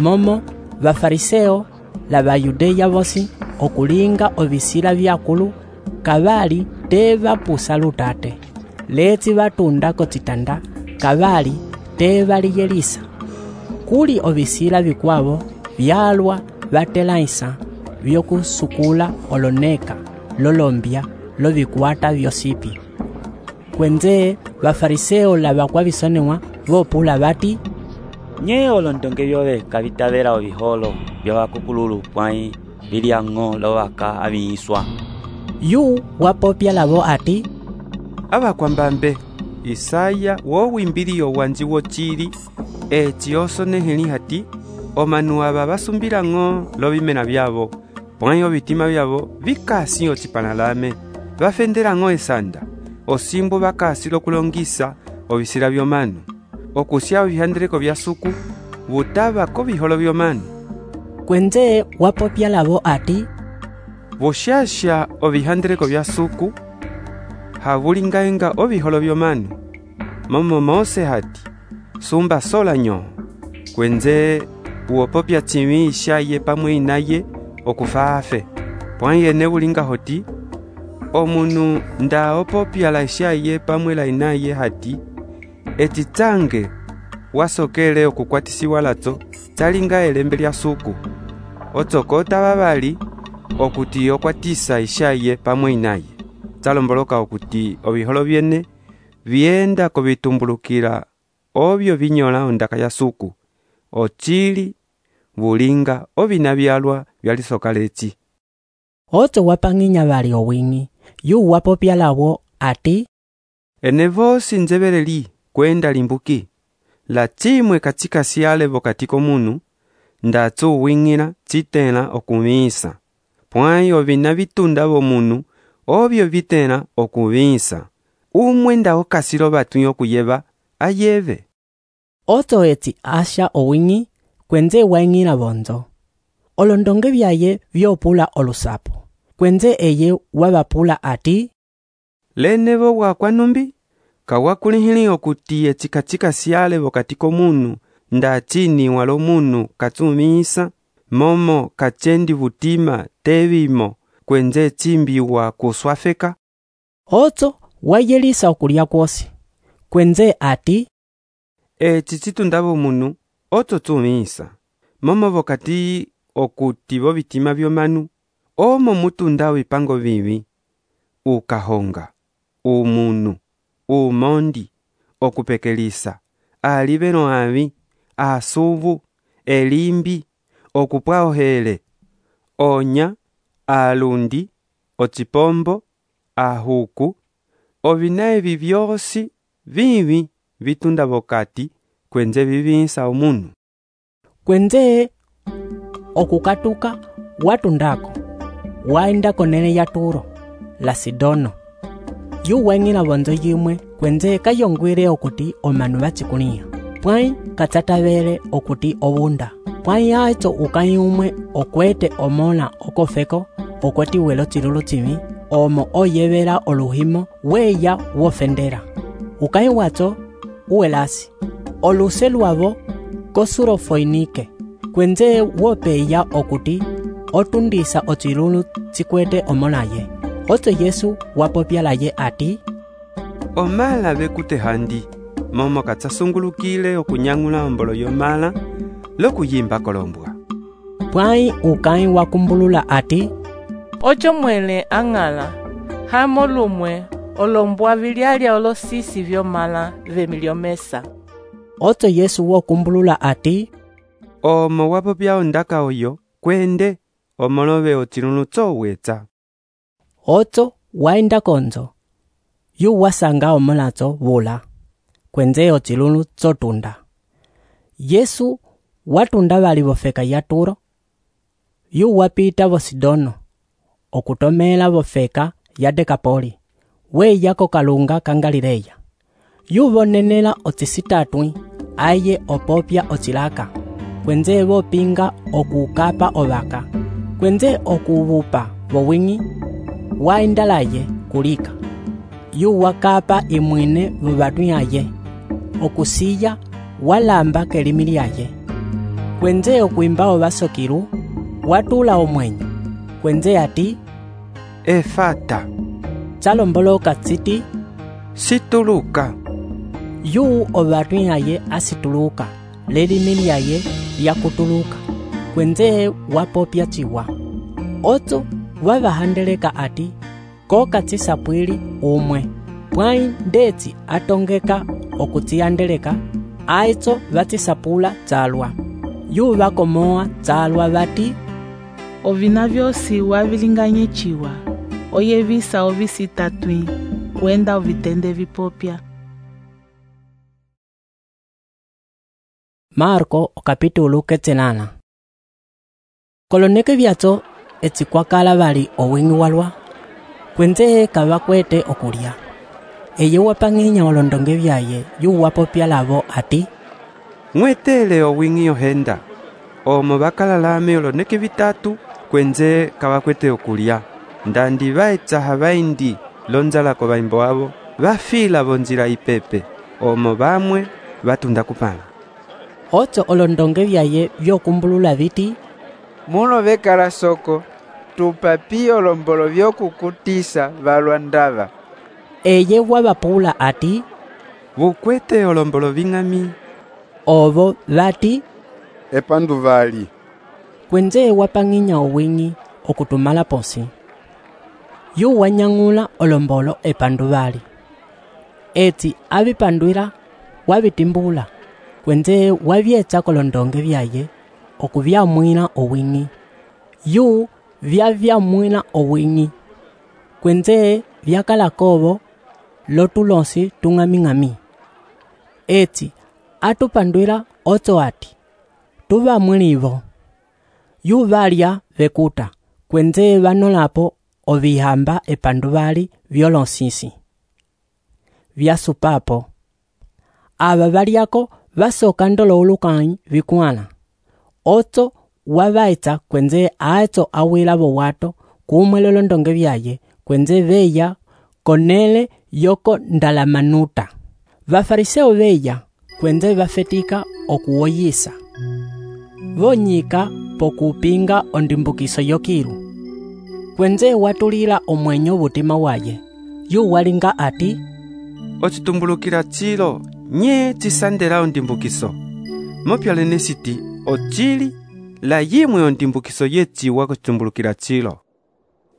Momo vafariseo la vayudeya vosi okulinga ovisila vyakulu kavali te vapusa lutate. Letsi vatunda kotsitanda kavali te valiyelisa. Kuli ovisila vikwavo vyalwa vatelaisa vyokusukula oloneka lolombya lovikwata vyosipi. Kwenze vafariseo la vakwavisonewa vopula vati, nye olondonge vyove kavitavela oviholo vyavakukululu pwãyi viliang'o lovaka aviiswa. Yu wapopya lavo ati, avakwambambe Isaya wowimbiliyo wanji wochili etsi osoneheli hati omanu ava vasumbilang'o lovimena vyavo pwãyi ovitima vyavo vikasi otsipanalame vafendelang'o esanda osimbo vakasi lokulongisa ovisila vyomanu okusya ovihandeleko vya suku vutava koviholo vyomanu. Kwenze wapopya lavo ati, voxaxa ovihandeleko vya suku havulingaenga oviholo vyomanu. Momo Mose hati sumba sola nyo. Kwenze uopopya tsimi ishaye pamwe inaye okufaafe pwãyi ene vulinga hoti omunu nda opopya la ishaye pamwe la inaye hati eti tsange wasokele okukwatisiwa latso tsalinga elembe lya suku otsokota vavali okuti okwatisa ishaye pamwe inaye. Tsalomboloka okuti oviholo vyene vyenda kovitumbulukila ovyo vinyola ondaka ya suku ochili vulinga ovina vyalwa vyalisoka letsi. Otso wapang'inya vali owing'i. Yu wapopya lavo ati, ene vosi nzeveleli kwenda limbuki la tsimwe katsika siale vokati komunu ndatso uwing'ila tsitela okuvisa pwãyi ovina vitunda vomunu ovyo vitela okuvisa umwe nda okasilo vatwi okuyeva ayeve. Otso etsi asha owing'i kwenze waing'ila vonzo. Olondonge vyaye vyopula olusapo. Kwenze eye wavapula ati, lenevo wakwanumbi kawakulihili okuti etsikachika siale vokati komunu nda chini walo munu katsumisa momo kachendi vutima tevimo kwenze chimbiwa kuswafeka. Otso wayelisa okulya kwosi. Kwenze ati, etsi tsitunda vomunu otso tsumisa momo vokati okuti vo vitima vyomanu omo mutunda vipango vivi ukahonga umunu umondi okupekelisa aliveno avi asuvu elimbi okupwa ohele onya alundi otsipombo ahuku ovina evi vyosi vivi vitunda vokati kwenze vivisa omunu. Kwenze okukatuka watundako waenda konene ya Turo la Sidono. Yu weng'ila vonzo yimwe kwenze kayongwile okuti omanu vachikulia. Pwai katsatavele okuti obunda. Pwai aitso ukai umwe okwete omola okofeko okweti welo chilulu chimi omo oyevela oluhimo weya wofendera. Ukai watso uelasi. Oluse luavo kosurofoinike. Kwenze wopeya okuti otundisa ochilulu chikwete omolaye. Otso Yesu wapopyalaye ati, omala bekute handi, momo katsasungulukile okunyang'ula ombolo yomala lokuyimba kolombwa. Pwai ukai wakumbulula ati, ocho mwele ang'ala, hamo lumwe olombwa vilyalya olosisi vyomala vemiliomesa. Otso Yesu wokumbulula ati, omo wapopya ondaka oyo kwende omolove ochilulu tsowetsa. Otso waenda konzo. Yu wasanga omolatso vula. Kwenze ochilulu tsotunda. Yesu watunda vali vofeka ya Turo. Yu wapita vo Sidono. Okutomela vofeka ya Dekapoli. We yako kalunga kangalileya. Yu vonenela otsisitatwi aye opopya ochilaka. Kwenze vopinga okukapa ovaka. Kwenze okuvupa vowingi waendalaye kulika. Yu wakapa imwine vuvatwi aye. Okusiya walamba kelimi lyaye. Kwenze okuimba ovasokiru watula omwenyo. Kwenze ati, efata. Chalomboloka tsiti, situluka. Yu ovatwi aye asituluka. Lelimi lyaye lyakutuluka. Kwenze wapopya chiwa. Otso wavahandeleka ati, koka tsisapwili umwe. Pwai ndetsi atongeka okutsiyandeleka, aitso vatsisapula tsalwa. Yu vakomoa tsalwa vati, ovina vyosi wavilinganye chiwa, oyevisa ovisitatwi, wenda ovitende vipopya. Marko okapitulu ketsenana. Koloneke vyatso etsikwakala vali owingi walwa. Kwenze kavakwete okulya. Eye wapang'inya olondonge vyaye yu wapopya lavo ati, mwetele owingi ohenda. Omo bakalalame oloneke vitatu kwenze kavakwete okulya. Ndandi vaetsaha vaindi lonzalako vaimbo avo vafila vonzila ipepe. Omo bamwe vatunda kupala. Otso olondonge vyaye vyokumbulula viti, muno vekala soko tupapi olombolo vyokukutisa valwa ndava. Eye wavapula ati, vukwete olombolo ving'ami. Ovo vati, epandu vali. Kwenze wapang'inya owingi okutumala posi. Yu wanyang'ula olombolo epandu vali. Etsi avipandwila wavitimbula. Kwenze wavyetsa kolondonge vyaye okuvyamwila owingi. Yu vyavyamwila owingi. Kwenze vyakalakovo lotulosi tung'aming'ami. Etsi atupandwila otso ati, tuvamwilivo. Yu valya vekuta. Kwenze vanolapo ovihamba epandu vali vyolonsisi. Vyasupapo. Ava valyako vasoka ndolo ulukanyi vikuala. Otso wavaitsa kwenze aitso awila vowato kumwele londonge vyaye kwenze veya konele yoko ndalamanuta. Vafariseo veya kwenze vafetika okuwoyisa. Vonyika pokupinga ondimbukiso yokiru. Kwenze watulila omwenyo butima waye. Yu walinga ati, ochitumbulukila chilo nye chisandela ondimbukiso. Mopyalene siti ochili la yimwe ondimbukiso yechiwa kuchitumbulukila chilo.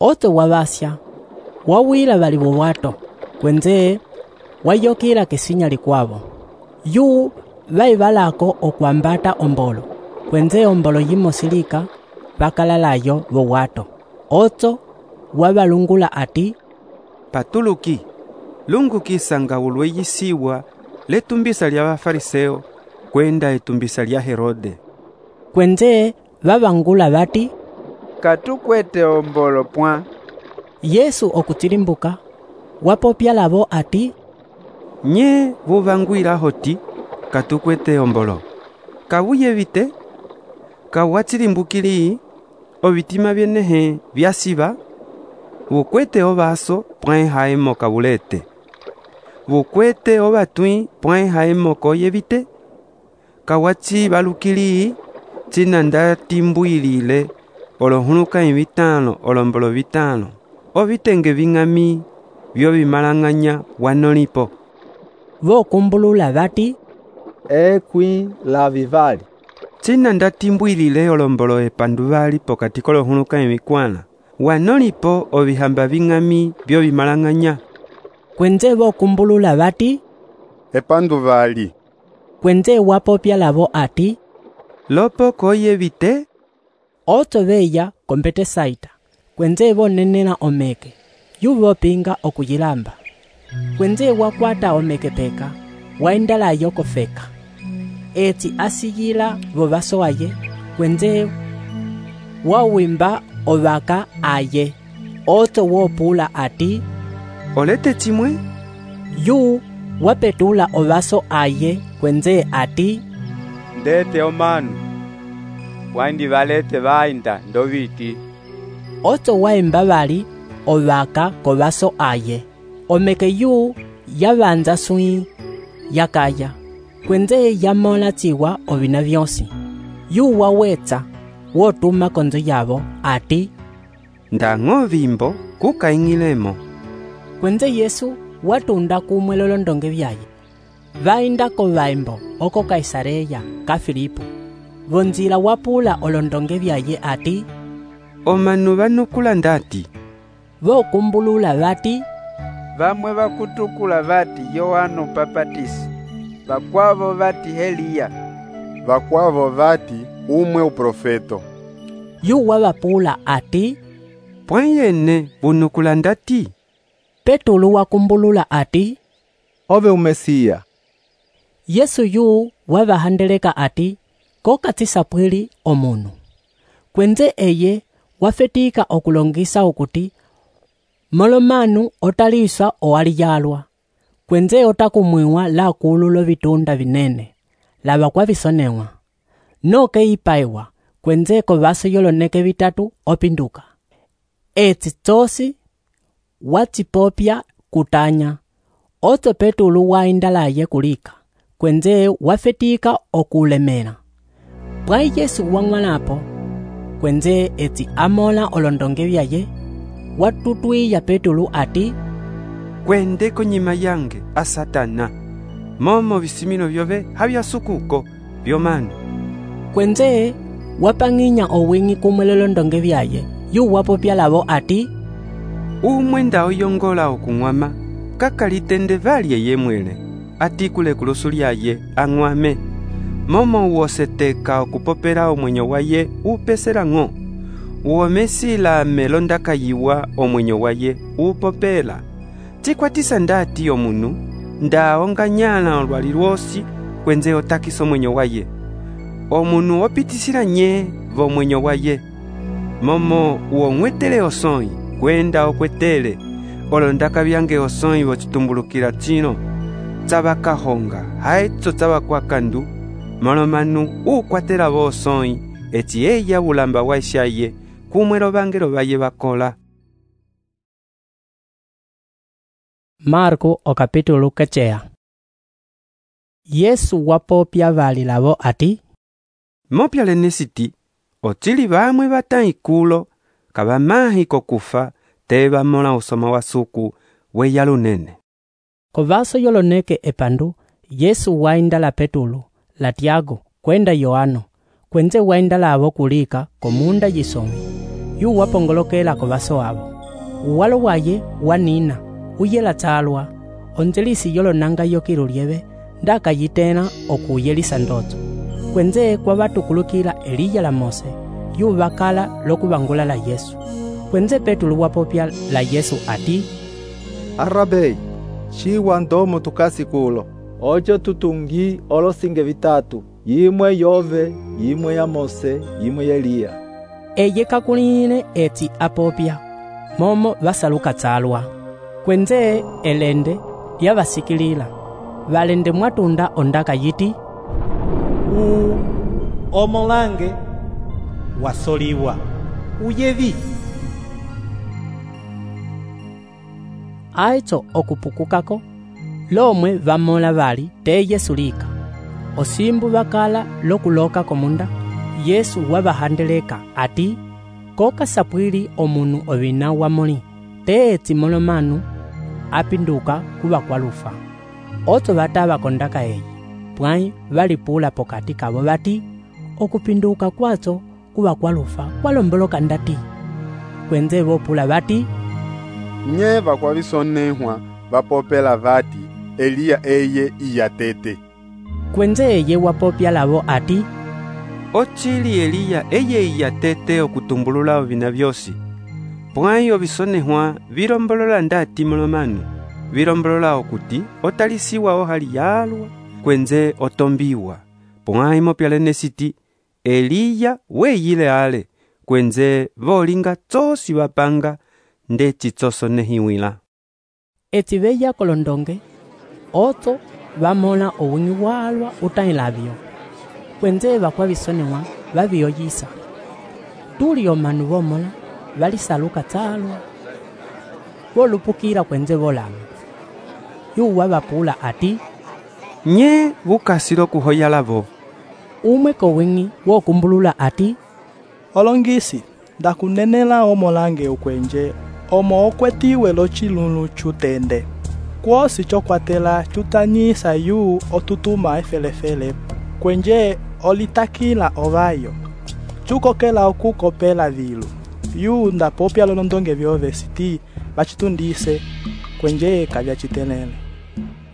Otso wavasya wawila vali vowato. Kwenze wayokila kisinya likwavo. Yu vaivalako okuambata ombolo. Kwenze ombolo yimosilika vakalalayo vowato. Otso wavalungula ati, patuluki lungukisa nga ulwe yisiwa letumbisa lya bafariseo kwenda etumbisa lya Herode. Kwenze vavangula vati, katukwete ombolo pwa. Yesu okuchilimbuka wapopya lavo ati, nye vuvangwila hoti katukwete ombolo kawuyevite kawachilimbukili ovitima vyenehe vyasiva vukwete ovaso pwae haemo kavulete vukwete ovatwi pwae haemo koyevite kawachi valukili china ndatimbwilile olohuluka vitano olombolo vitano ovitenge ving'ami vyo vimalang'anya wanolipo. Vokumbulula vati, ekwi la vivali china ndatimbwilile olombolo epandu vali pokati kolohuluka evikwana wanolipo ovihamba ving'ami vyo vimalang'anya. Kwenze vokumbulula vati, epandu vali. Kwenze wapopya lavo ati, lopo koyevite oto veya kompete saita kwenze vonenela omeke yuvopinga okuyilamba kwenze wakwata omeke peka waindalayo kofeka eti asiyila vovaso aye kwenze wawimba ovaka aye oto wopula ati, olete chimwe yu wapetula ovaso aye kwenze ati, ndete omanu waindi valete vainda ndoviti. Oto waimba vali ovaka kovaso aye omeke yu yavanza sui yakaya kwenze yamola chiwa ovina vyonsi yu wawetsa wotuma konzo yavo ati, ndang'o vimbo kukaing'ilemo. Kwenze Yesu watunda kumwe lolondonge vyaye vainda ko vaimbo oko Kaisareya ka Filipo vonzila wapula olondonge vyaye ati, omanu vanukula ndati. Vokumbulula vati, vamwe vakutukula vati Yohana Upapatisi, vakwavo vati Eliya, vakwavo vati umwe uprofeto. Yu wavapula ati, pwayene vunukula ndati. Petulu wakumbulula ati, ove umesiya. Yesu yu wavahandeleka ati, kokatisa omunu kwenze eye wafetika okulongisa okuti molomanu otaliswa owaliyalwa kwenze otakumwiwa la kululo vitunda vinene lava kwa visonewa noke ipaiwa kwenze ko vaso yoloneke vitatu opinduka etsi tosi watipopya kutanya oto Petulu waindalaye kulika kwenze wafetika okulemela pwai Yesu wang'walapo kwenze eti amola olondonge vyaye watutwiya Petulu ati, kwende konyima yange a Satana momo visimino vyove havyasukuko vyomanu kwenze wapang'inya owing'i kumwe lolondonge vyaye yu wapopya lavo ati, umwe nda oyongola okung'wama kakalitende valye yemwele atikule kulusu lyaye ang'wame momo woseteka okupopela omwenyo waye upesela ng'o uomesila melondakayiwa omwenyo waye upopela chikwatisa ndati omunu nda onganyala olwali lwosi kwenze otakisa omwenyo waye omunu opitisila nye vomwenyo waye momo uong'wetele osoi kwenda okwetele olondaka byange osoi vocitumbulukila chino tsavakahonga haetso tsavakwakandu molomanu ukwatela vosoi eti eya ulamba waishaye kumwe lovangelo vaye vakola. Marko okapitulu keceya. Yesu wapopya vali lavo ati, mopya lenesiti otili vamwe vataikulo kavamahi kokufa te vamola usoma wa suku weya lunene. Kovaso yoloneke epandu Yesu waindala Petulu la Tiago kwenda Yohano kwenze waindala avo kulika komunda yisomi yu wapongolokela kovaso avo uwalo waye wanina uyela tsalwa onzelisi yolonanga yokilu lyeve ndakayitena okuyelisa ndoto kwenze kwa vatukulukila Eliya la Mose yu vakala lokuvangula la Yesu kwenze Petulu wapopya la Yesu ati, Arabei chiwa ndomo tukasikulo ocho tutungi olosinge vitatu yimwe yove yimwe ya Mose yimwe ya Eliya. eye kakulile eti apopya momo vasaluka tsalwa. Kwenze elende yavasikilila valende mwatunda ondaka yiti, u omolange wasoliwa uyevi. Aitso okupukukako lomwe vamola vali te Yesu lika osimbu vakala lokuloka komunda. Yesu wavahandeleka ati koka sapwili omunu ovina wamoli te etsi molomanu apinduka kuva kwalufa. Otso vatava kondaka eyi pwai valipula pokati kavo vati okupinduka kwatso kuva kwalufa kwalomboloka ndati. Kwenze vopula vati, nye vakwavisonehwa vapopela vati Eliya eye iyatete. Kwenze eye wapopya lavo ati, ochili Eliya eye iyatete okutumbulula ovina vyosi. Pwai ovisonehwa vilombolola ndati molomanu vilombolola okuti otalisiwa ohali yalwa kwenze otombiwa. Pwai mopyalene siti Eliya weyile ale kwenze volinga tsosi vapanga nde chitsosonehiwila. Eti veya kolondonge otso vamona owingi walwa utailavyo. Kwenze vakwavisonehwa vaviyoyisa. Tuli omanu vomola valisaluka tsalwa volupukila kwenze volama. Yuwa vapula ati, nye vukasilo kuhoyalavo. Umwe kowingi wokumbulula ati, olongisi ndakunenela omolange ukwenje omo okwetiwe lochilulu chutende kwosi chokwatela chutanyisa yu otutuma efelefele kwenje olitakila ovayo chukokela okukopela vilu yu ndapopya lolondonge vyove siti vachitundise kwenje kavyachitelele.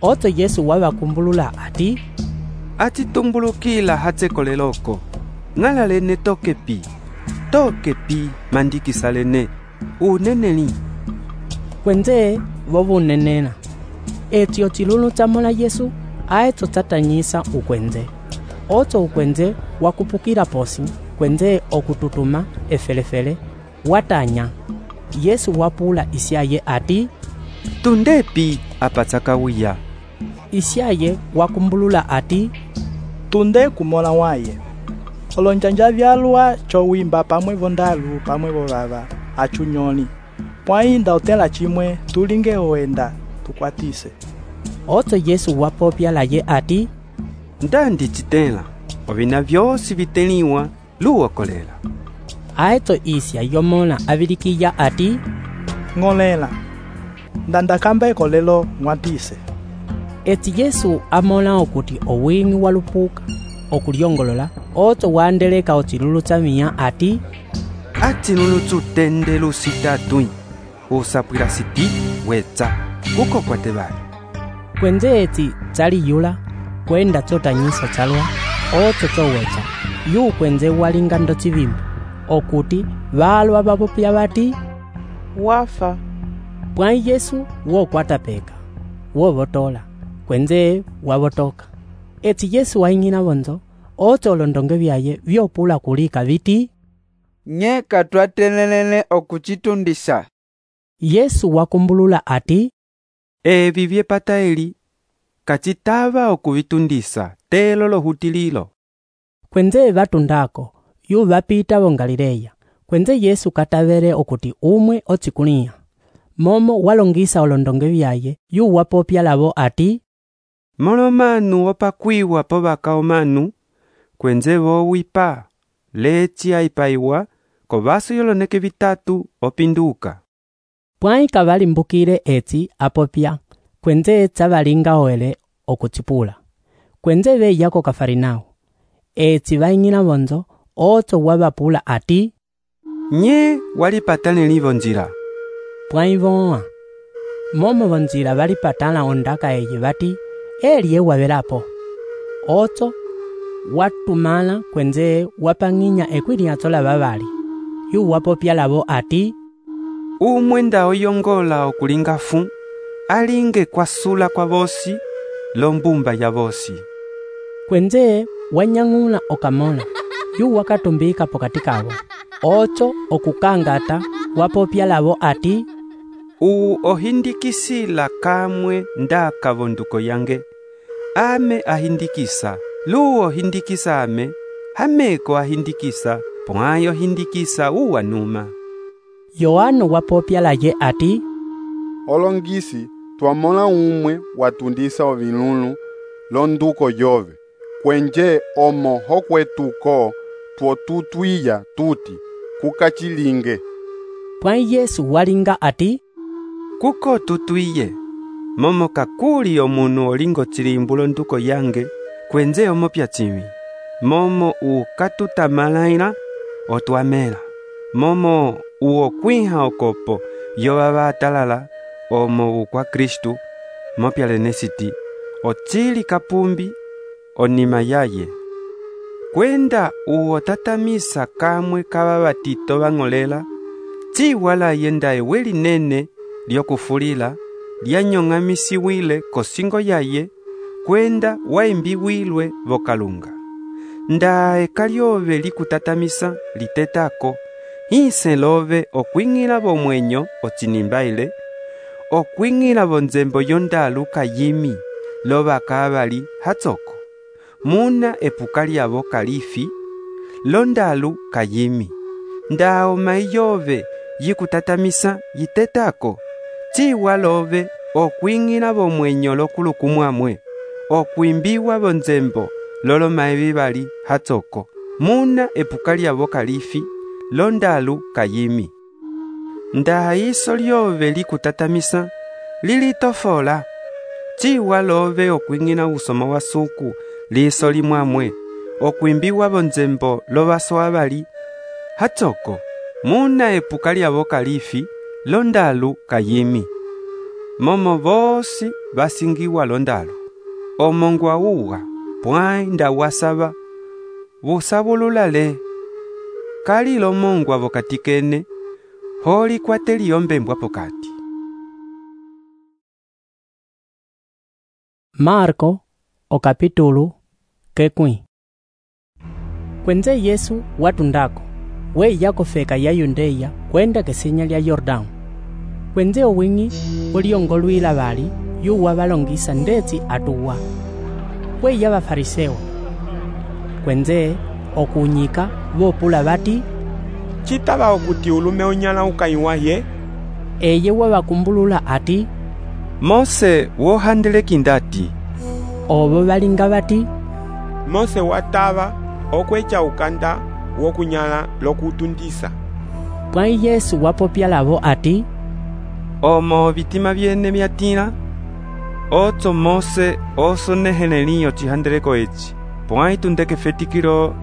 Otso Yesu wavakumbulula ati, atitumbulukila hatsekoleloko ng'alalene tokepi tokepi mandikisalene uneneli. Kwenze vovunenena etio chilulu chamola Yesu aetso tatanyisa ukwenze. Otso ukwenze wakupukila posi kwenze okututuma efelefele watanya. Yesu wapula isyaye ati, tundepi apatsakawiya. Isyaye wakumbulula ati, tunde kumola waye. Olonjanja vyalwa chowimba pamwe vondalu pamwe vovava achunyoli. Pwainda otela chimwe tulinge oenda tukwatise. Otso Yesu wapopya laye ati, ndandi chitela ovina vyosi viteliwa luwokolela. Aetso isya yomola avilikiya ati, ng'olela ndandakamba ekolelo ng'watise. Eti Yesu amola okuti owingi walupuka okulyongolola. Otso wandeleka ochilulu chamiya ati, achilulu chutende lusitatui usapwila siti wetsa kuko kwate vali. Kwenze eti chaliyula kwenda chotanyisa chalwa otso chowetsa yu kwenze walinga ndo chivimbo okuti valwa vapopya vati wafa. Pwai Yesu wokwata peka wovotola kwenze wavotoka. Eti Yesu waing'ina vonzo otso olondonge vyaye vyopula kulika viti, nye katwatelelele okuchitundisa. Yesu wakumbulula ati, evi vyepata eli kachitava okuvitundisa telo lohutililo. Kwenze vatundako yu vapita vo Galileya. Kwenze Yesu katavele okuti umwe otsikulia momo walongisa olondonge vyaye yu wapopya lavo ati, molomanu opakwiwa povaka omanu kwenze vowipa lechi aipaiwa kovaso yoloneke vitatu opinduka. Pwai kavalimbukile etsi apopya kwenze etsa valinga oele okuchipula. Kwenze veya ko Kafarinao etsi vaing'ina vonzo otso wavapula ati, nye walipatane livo njila. Pwai voa momo vonjila valipatana ondaka eyi vati eli ewavelapo. Otso watumala kwenze wapang'inya ekwiliatso la vavali yu wapopya lavo ati, umwe nda oyongola okulinga fu alinge kwasula kwa vosi lombumba ya vosi. Kwenze wanyang'ula okamola yu wakatumbika pokati kavo ocho okukangata wapopya lavo ati, uwu ohindikisila kamwe nda kavonduko yange. Ame ahindikisa, luwo ohindikisa ame, hameko ahindikisa, pwayo hindikisa uwa numa. Yohano wapopya laye ati, olongisi twamona umwe watundisa ovinunu londuko yove, kwenje omo hokwetuko twotutwiya tuti kukachilinge. Pwayi Yesu walinga ati, kuko tutwiye, momo kakuli omunu olingo chilimbu londuko yange, kwenje omopya chimi, momo ukatutamalaila otwamela, momo uokwiha okopo yovava atalala omo ukwa Kristu, mopya lenesiti, ochili kapumbi onima yaye. Kwenda uotatamisa kamwe kava vatito vang'olela, chiwala yenda eweli nene lyokufulila, lyanyong'amisiwile kosingo yaye, kwenda waimbiwilwe vokalunga. Nda eka lyove likutatamisa litetako, hise love okwing'ila vomwenyo ochinimbaile, okwing'ila vonzembo yondalu kayimi, lova kavali hatsoko. Muna epuka lyavo kalifi, londalu kayimi. Nda oma iyove yikutatamisa yitetako, chiwa love okwing'ila vomwenyo lokulukumwamwe, okwimbiwa vonzembo loloma evivali hatsoko. Muna epuka lyavo kalifi, londalu kayimi. Nda iso lyove likutatamisa lilitofola, chiwa love okwing'ila usoma wa suku liso limwamwe, okwimbiwa vonzembo lovaso avali hatsoko. Muna epuka lyavo kalifi, londalu kayimi. Momo vosi vasingiwa londalu, omongwa uwa pwai nda wasava vusavululale. Kali lomongwa vokatikene, holi kwate liyombembwa pokati. Marko o capítulo kekwi. Kwenze Yesu watundako, we yako feka ya Yundeya kwenda kesinya lya Yordão. Kwenze owing'i uliongolwila bali yuwa balongisa ndetsi atuwa. We ya bafariseo. Kwenze okunyika vopula bati, chitaba okuti ulume onyala ukaiwaye. Eye wabakumbulula ati, Mose wohandele kindati. Obo balinga bati, Mose wataba okwecha ukanda wokunyala lokutundisa. Pwayi Yesu wapopya lavo ati, omo bitima byene byatila, oto Mose osoneheleliyo chihandeleko echi, pwayi tundeke fetikilo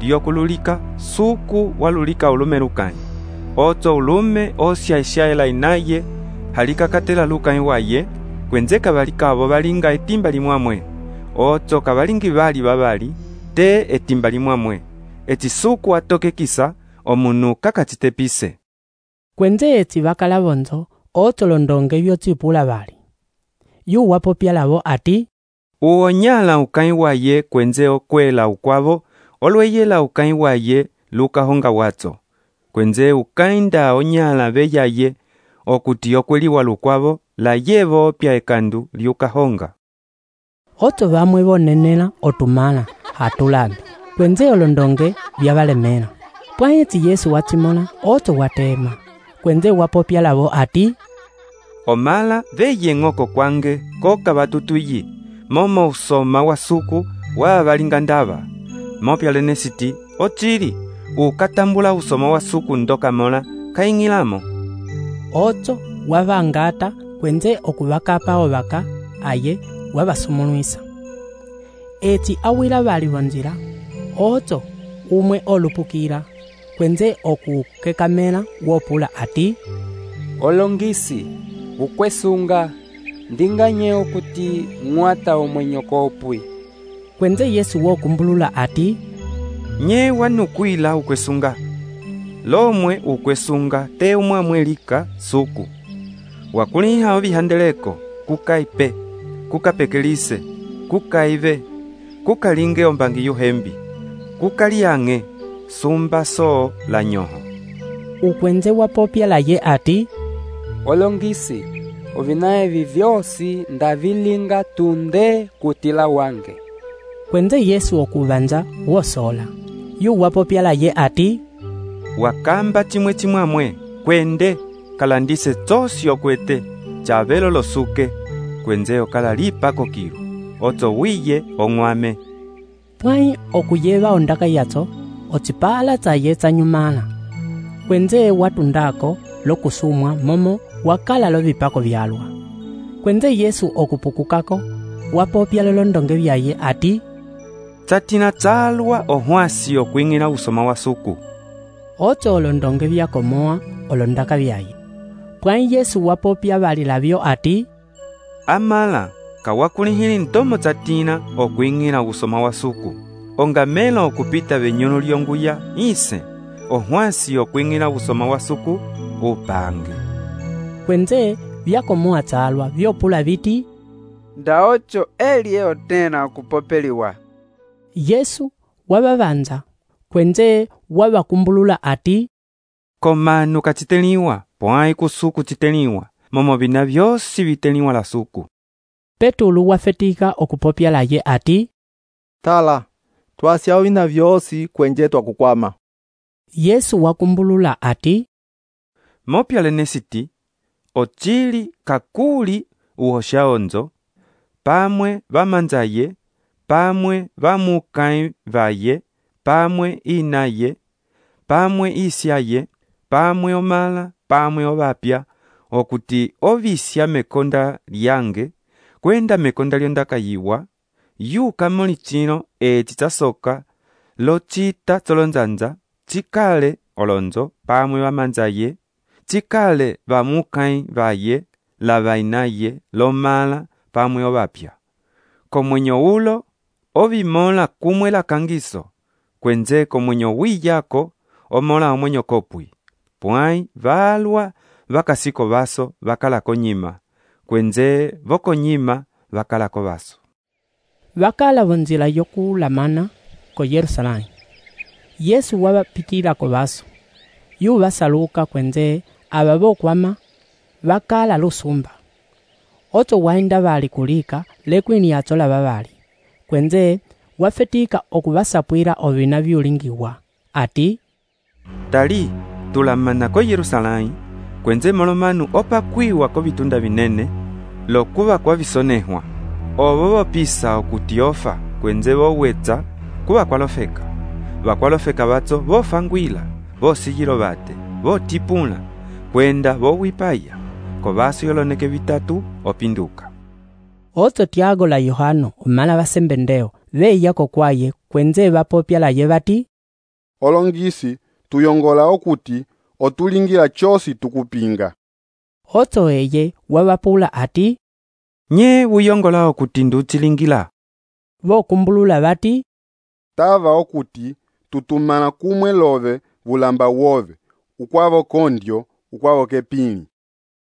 lyokululika, suku walulika ulume lukanyi. Oto ulume osya isyaela inaye, halika katela lukanyi waye, kwenze kabalika abo balinga etimba limwamwe. Oto kabalingi bali babali, te etimba limwamwe. Eti suku atokekisa, omunu kakachitepise. Kwenze eti bakala bonzo, oto londonge byotsipula bali. Yu wapopya lavo ati, uonyala ukanyi waye kwenze okwela ukwavo, olweyela ukanyi waye lukahonga watso. Kwenze ukainda onyala beyaye, okuti okweliwa lukwavo, la yevo pya ekandu liukahonga. Oto bamwe bonenela otumala hatulambi. Kwenze olondonge byabalemela. Pwayi eti Yesu watimola, oto watema. Kwenze wapopya lavo ati, omala veye ng'oko kwange koka batutuyi, momo usoma wa suku wa balinga ndaba. Mopya lenesiti, ochili ukatambula usoma wa suku ndoka mola kaingilamo. Oto wabangata kwenze okubakapa obaka aye wabasumulwisa. Eti awila bali bonzira, oto umwe olupukira kwenze okukekamela wopula ati, olongisi ukwesunga ndinganye okuti mwata omwenyo kopwi. Kwenze Yesu wokumbulula ati, nye wanukwila ukwesunga. Lomwe ukwesunga te umwamwelika suku. Wakuliha obihandeleko, kukaipe, kukapekelise, kukaive, kukalinge ombangi yuhembi, kukaliange, sumba so la nyoho. ukwenze wapopya laye ati, olongisi ovina evi vyosi ndavilinga tunde kutila wange. Kwenze Yesu okubanza wosola, yu wapopya laye ati, wakamba chimwe chimwamwe kwende kalandise tsosi okwete chavelo losuke kwenze okalalipa kokilu otso wiye ong'wame. Pwai okuyeva ondaka yatso otsipala tsaye tsanyumala kwenze watundako lokusumwa momo wakala lovipako vyalwa. Kwenze Yesu okupukukako wapopya lolondonge vyaye ati, tsatina tsalwa ohwasi okwing'ina usoma wa suku. Otso olondonge vyakomoa olondaka vyaye. Pwai Yesu wapopya valilavyo ati, amala kawakulihili ntomo tsatina okwing'ina usoma wa suku ongamela okupita venyuno lyonguya ise ohwasi okwing'ina usoma wa suku upange. Kwenze vyakomoa tsalwa vyopula viti, ndaocho elie otena kupopeliwa. Yesu wababanza kwenze wabakumbulula ati, komanu kachiteliwa pwai kusuku chiteliwa momo vina vyosi viteliwa la suku. Petulu wafetika okupopya laye ati, tala twasya vina vyosi kwenje twakukwama. Yesu wakumbulula ati, mopya lenesiti ochili kakuli uhosha onzo pamwe vamanzaye pamwe vamukai vaye pamwe inaye pamwe isyaye pamwe omala pamwe ovapya okuti ovisya mekonda lyange kwenda mekonda lyondakayiwa yuka muli chino eci tsasoka lochita tsolonzanza chikale olonzo pamwe vamanzaye chikale vamukai vaye lavainaye lomala pamwe ovapya komwenyo ulo ovimola kumwe la kangiso kwenze komwenyo wiyako omola omwenyo kopwi pwai valwa vakasiko vaso vakalako nyima kwenze vokonyima vakalako vaso. Vakala vonzila yokulamana ko Yerusalemu. Yesu wabapitilako vaso yu vasaluka kwenze aba bokwama vakala lusumba. Otso wainda vali kulika lekwini yatsola vavali kwenze wafetika okuvasapwira ovina vyulingiwa ati, tali tulamana ko Yerusalemu kwenze molomanu opakwiwa ko vitunda vinene lokuva kwa visonehwa ovo vopisa okuti ofa kwenze vowetsa kuva kwalofeka vakwalofeka vatso vofangwila vosigilo vate votipula kwenda vowipaya ko vaso yoloneke vitatu opinduka. Otso Tiago la Yohano omala vasembendeo veyako kwaye kwenze vapopya laye vati, olongisi tuyongola okuti otulingila chosi tukupinga. Otso eye wavapula ati, nye uyongola okuti nduchilingila. Vokumbulula vati, tava okuti tutumana kumwe love vulamba wove ukwavo kondyo ukwavo kepini.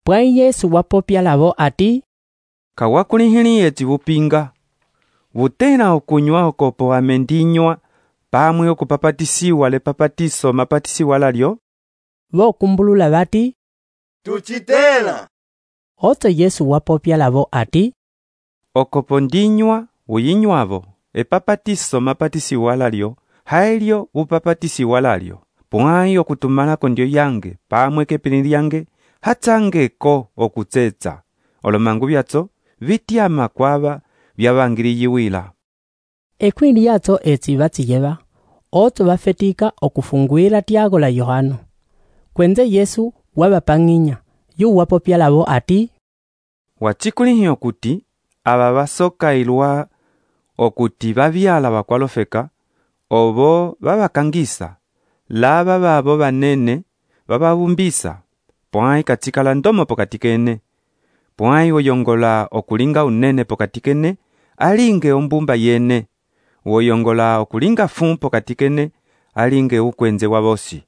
Pwai Yesu wapopya lavo ati, kawakulihili eti vupinga vutena okunywa okopo amendinywa pamwe okupapatisiwa lepapatiso mapatisiwa lalyo. Vokumbulula vati, tuchitela. Otso Yesu wapopya lavo ati, okopo ndinywa uyinywavo epapatiso mapatisiwa lalyo haelyo upapatisiwa lalyo pwai okutumalako ndyo yange pamwe kepini lyange hatsangeko okutsetsa olomangu vyatso vityama kwava vyavangiliyiwila. Ekwini yatso etsi vatsiyeva otso vafetika okufungwila Tiago la Yohano kwenze Yesu wavapang'inya yu wapopya lavo ati, wachikulihi okuti aba vasokailwa okuti vavyala vakwalofeka ovo vavakangisa lava vavo vanene vavavumbisa pwai katsikala ndomo pokati kene pwai woyongola okulinga unene pokati kene alinge ombumba yene woyongola okulinga fu pokati kene alinge ukwenze wavosi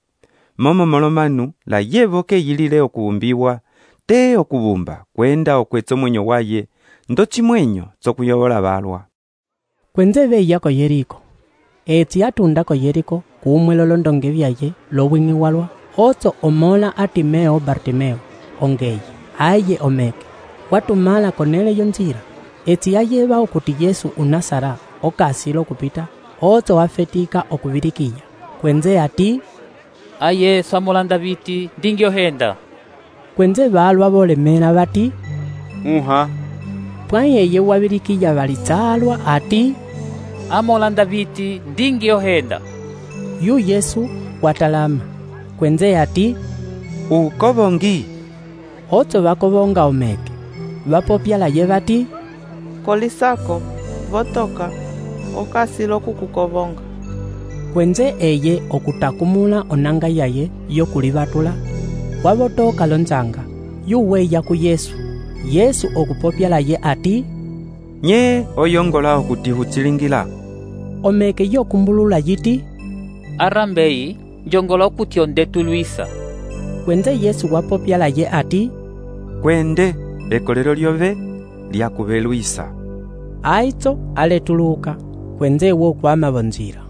momo molomanu la yevo ke yilile okubumbiwa te okubumba kwenda okwetso mwenyo waye ndo chimwenyo tsokuyobola balwa. Kwenze veya Yeriko etsi atunda ko Yeriko kumwe lolondonge vyaye lowing'i walwa otso omola a Timeo Bartimeo ongeye aye omeke watumala konele yo nzira eti ayeva okuti Yesu unasara okasila okupita otso wafetika okuvirikiya kwenze ati aye samolanda biti ndingyohenda kwenze balwa bolemela bati uha pwayi eye wavirikiya valitsalwa ati amolanda biti ndingyohenda yu Yesu watalama kwenze ati ukobongi otso bakobonga omeke vapopyala ye bati kolisako votoka okasila okukukobonga kwenze eye okutakumula onanga yaye yokulivatula wavotoka lonzanga yuweya ku Yesu Yesu okupopyala ye ati nye oyongola okuti hutsilingila omeke yokumbulula yiti arambeyi njongola okuti ondetulwisa kwenze Yesu wapopyala ye ati kwende ekolelo lyove lyakubelwisa aitso aletuluka kwenze wokwama bonzira.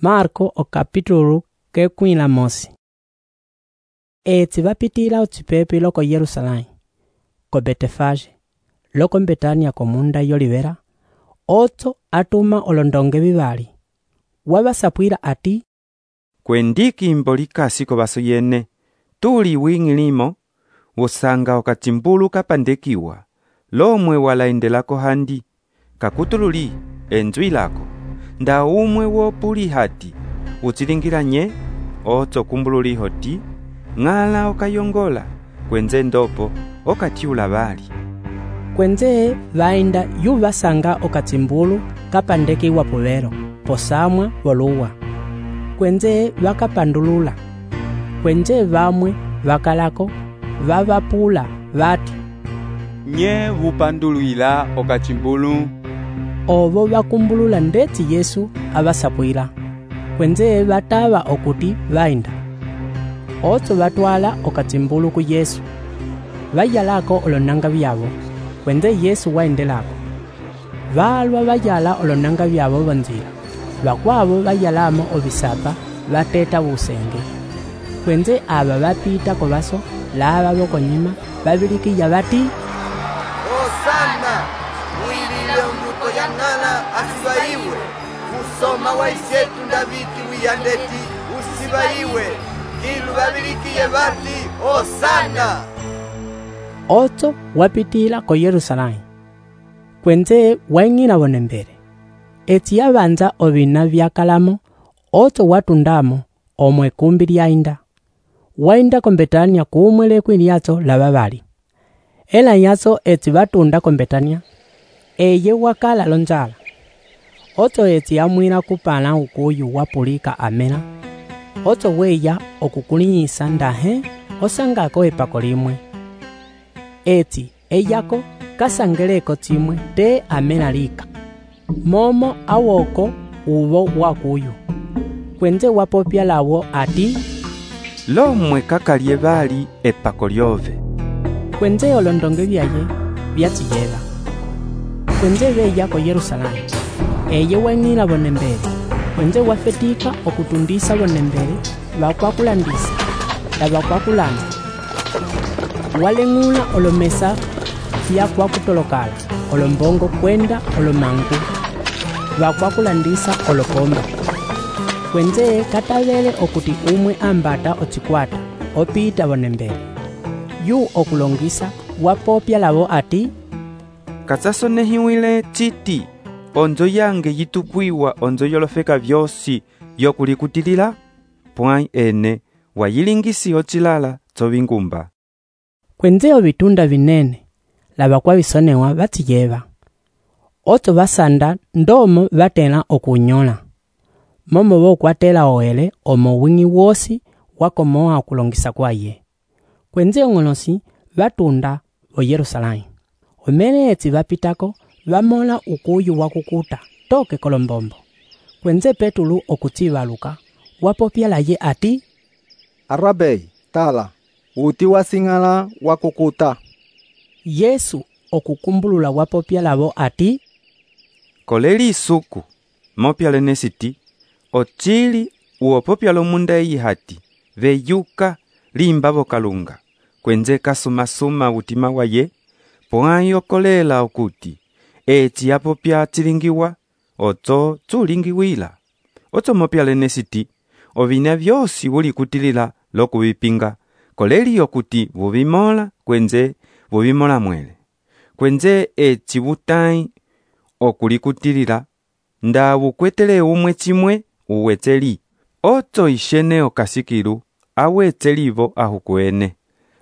Marko o capítulo que kwila mosi. Etsi vapitila otsipepi loko Yerusalém, ko Betefage, loko Betania komunda yolivera, otso atuma olondonge vivali. Wavasapwila ati, kwendiki imbolikasi ko baso yene, tuli wingilimo, wosanga okatsimbulu kapandekiwa, lomwe walaendelako handi, kakutululi enzwi lako, nda umwe wopuli hati, utsilingira nye, otso kumbululi hoti, ngala okayongola, kwenze ndopo, okatiula bali. Kwenze vainda yu vasanga okatsimbulu kapandekiwa puvero, posamwa voluwa. Kwenze vakapandulula. Kwenze vamwe vakalako, vavapula vati. Nye vupanduluila okatsimbulu. Ovo vakumbulula ndeti Yesu avasapwila. Kwenze vatava okuti vainda. Otso vatwala okatsimbulu ku Yesu. Vayalako olonanga vyavo. Kwenze Yesu waendelako. Valwa vayala olonanga vyavo bonzira. Vakwavo vayalamo obisapa vateta busenge. Kwenze aba vapita kovaso lava bokonyima vavilikiya vati Hosana mwilile mbuto ya nala asibaiwe musoma wa isetu ndaviti wiyandeti usibaiwe ilu vavilikiye vati Hosana. Otso wapitila ko Yerusalém. Kwenze waing'ina bonembere. Etsi yavanza ovina vyakalamo, otso watundamo omwe kumbi lyainda. Wainda ko Betania kuumwele kwiliatso lava vali. Ela yatso etsi vatunda ko Betania, eye wakala lonzala. Otso etsi yamwila kupala ukuyu wapulika amena. Otso weya okukulinyisa ndahe osangako epako limwe. Etsi eyako kasangeleko tsimwe te amena lika. Momo awoko uvo wakuyu. Kwenze wapopya lawo ati lomwe kakalye bali epako lyove. Kwenze olondonge vyaye vyatsiyeva. Kwenze veya ko Yerusalém. Eye weng'ila bonembere. Kwenze wafetika okutundisa bonembere vakwakulandisa la vakwakulanda. Waleng'ula olomesa vyakwakutolokala olombongo kwenda olomangu vakwakulandisa olopomba. Kwenze katavele okuti umwe ambata otsikwata opita bonembere. Yu okulongisa wapopya lavo ati katsasonehiwile tsiti onzo yange yitukwiwa onzo yolofeka vyosi yokulikutilila pwai ene wayilingisi otsilala tsovingumba. Kwenze ovitunda vinene lava kwavisonewa vatsiyeva. Otso vasanda ndomo vatela okunyola. Momo vokwatela oele omo wingi wosi wakomoa okulongisa kwaye. Kwenze ong'olosi vatunda o Yerusalém. Omene etsi vapitako vamola ukuyu wakukuta toke kolombombo. Kwenze Petulu okutsivaluka wapopyala ye ati Arabei tala uti wasing'ala wakukuta. Yesu okukumbulula wapopyala vo ati koleli isuku mopyale nesiti ochili uopopya lomunda eyi hati, veyuka limba vokalunga, kwenze kasumasuma utima waye, pwai okolela okuti, eci apopya tilingiwa, oto tulingiwila. Oto mopya lenesiti, ovina vyosi uli kutilila lokuvipinga, koleli okuti vuvimola kwenze vuvimola mwele. Kwenze eci vutai okulikutilila, nda vukwetele umwe chimwe uweteli. Oto ishene okasikilu, awetelivo ahukuene.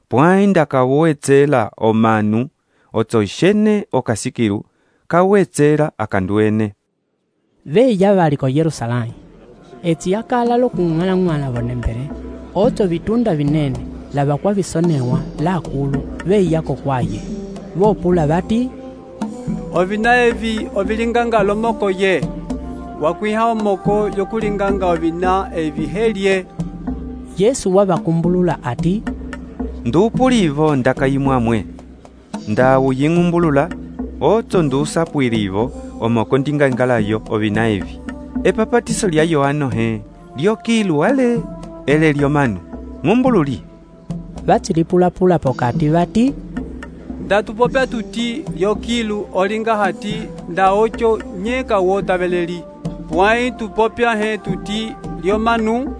Pwai ndakawetela omanu, oto ishene okasikilu, kawetela akanduene. Veya vali ko Yerusalemu. Eti yakala lokung'ala-ng'ala vonembere, oto vitunda vinene, lava kwa visonewa, lakulu, veya kokwaye. Vopula vati, ovina evi ovilinganga lomoko ye, wakwiha omoko yokulinganga ovina evi helye. Yesu wavakumbulula ati, ndupulivo ndakayimwamwe, ndawuying'umbulula, oto ndusapwilivo omoko ndingangalayo ovina evi. Epapatiso lya Yohano he, lyokilu ale, ele lyomanu, ng'umbululi. Vatilipula-pula pokati vati, ndatupopya tuti lyokilu olinga hati nda ocho nyeka wotaveleli, pwai tupopya he tuti lyomanu.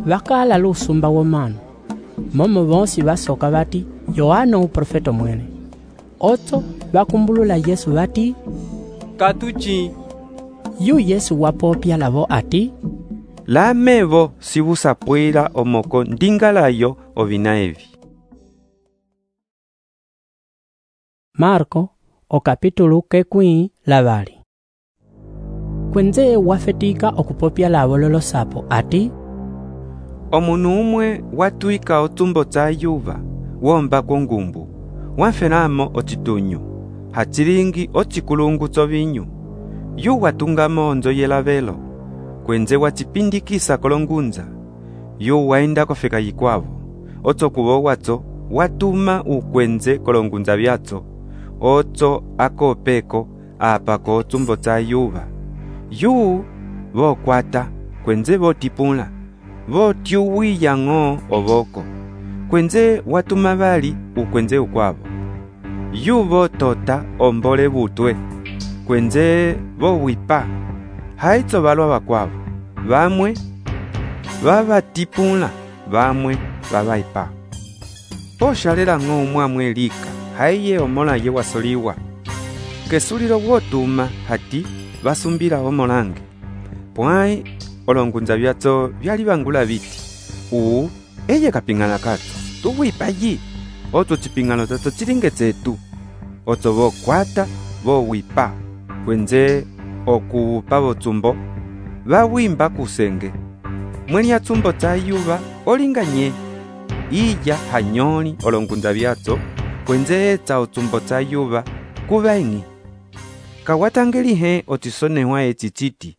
Vakala lusumba womanu, momo vonsi vasoka vati, Yohano uprofeto mwene. Oto vakumbulula Yesu vati, katuchi. Yu Yesu wapopya lavo ati, lamevo sivusapwila omoko ndingalayo ovina evi. Marko o kapitulu kekwi lavali. Kwenze wafetika okupopya lavo lolosapo ati, omunu umwe watuika otumbo tsa yuva, womba kongumbu, wafenamo ochitunyu, hachilingi ochikulungu tsovinyu, yu watungamo onzo yelavelo, kwenze wachipindikisa kolongunza, yu waenda kofeka yikwavo, oto kuvo watso, watuma ukwenze kolongunza vyatso, oto akopeko apako otumbo tsa yuva. Yu vokwata, kwenze votipula, votyuwiya ng'o ovoko, kwenze watuma vali ukwenze ukwavo. Yu votota ombole vutwe, kwenze vowipa, haitso valwa vakwavo, vamwe vavatipula, vamwe vavaipa. Poshalela ng'o umwamwe lika, haiye omola ye wasoliwa. Kesulilo wotuma hati vasumbila omolange. Pwai olongunza vyatso vyali vangula viti, uu eye kapingana katso, tuwipa yi, oto chipingano tatso chilinge tsetu. Oto vokwata vowipa, kwenze okuupa votsumbo, vawimba kusenge. Mweni ya tsumbo tsa yuva olinga nye, iya hanyoli olongunza vyatso, kwenze etsa otsumbo tsa yuva kuvaingi. Kawatangeli he otisonewa echichiti,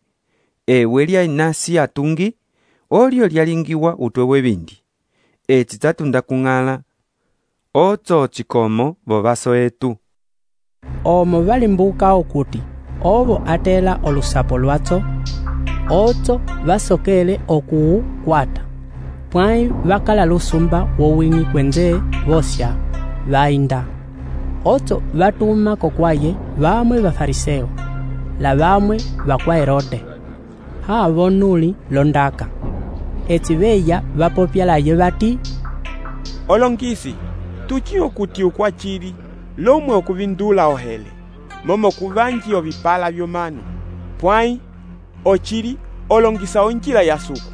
ewe lya inasi atungi, olio lyalingiwa utwe webindi. Eti tatunda kung'ala, oto chikomo vovaso etu. Omo valimbuka okuti, ovo atela olusapo lwatso, oto vasokele okuu kwata. Pwai vakala lusumba wowingi kwenze vosya, vainda. Oto vatuma kokwaye vamwe vafariseo, la vamwe vakwa Herode. Havo nuli londaka. Eti veya vapopya laye vati, olongisi, tuchi okuti ukwachili, lomwe okuvindula ohele, momo kuvanji ovipala vyomanu, pwai ochili olongisa onjila ya suku.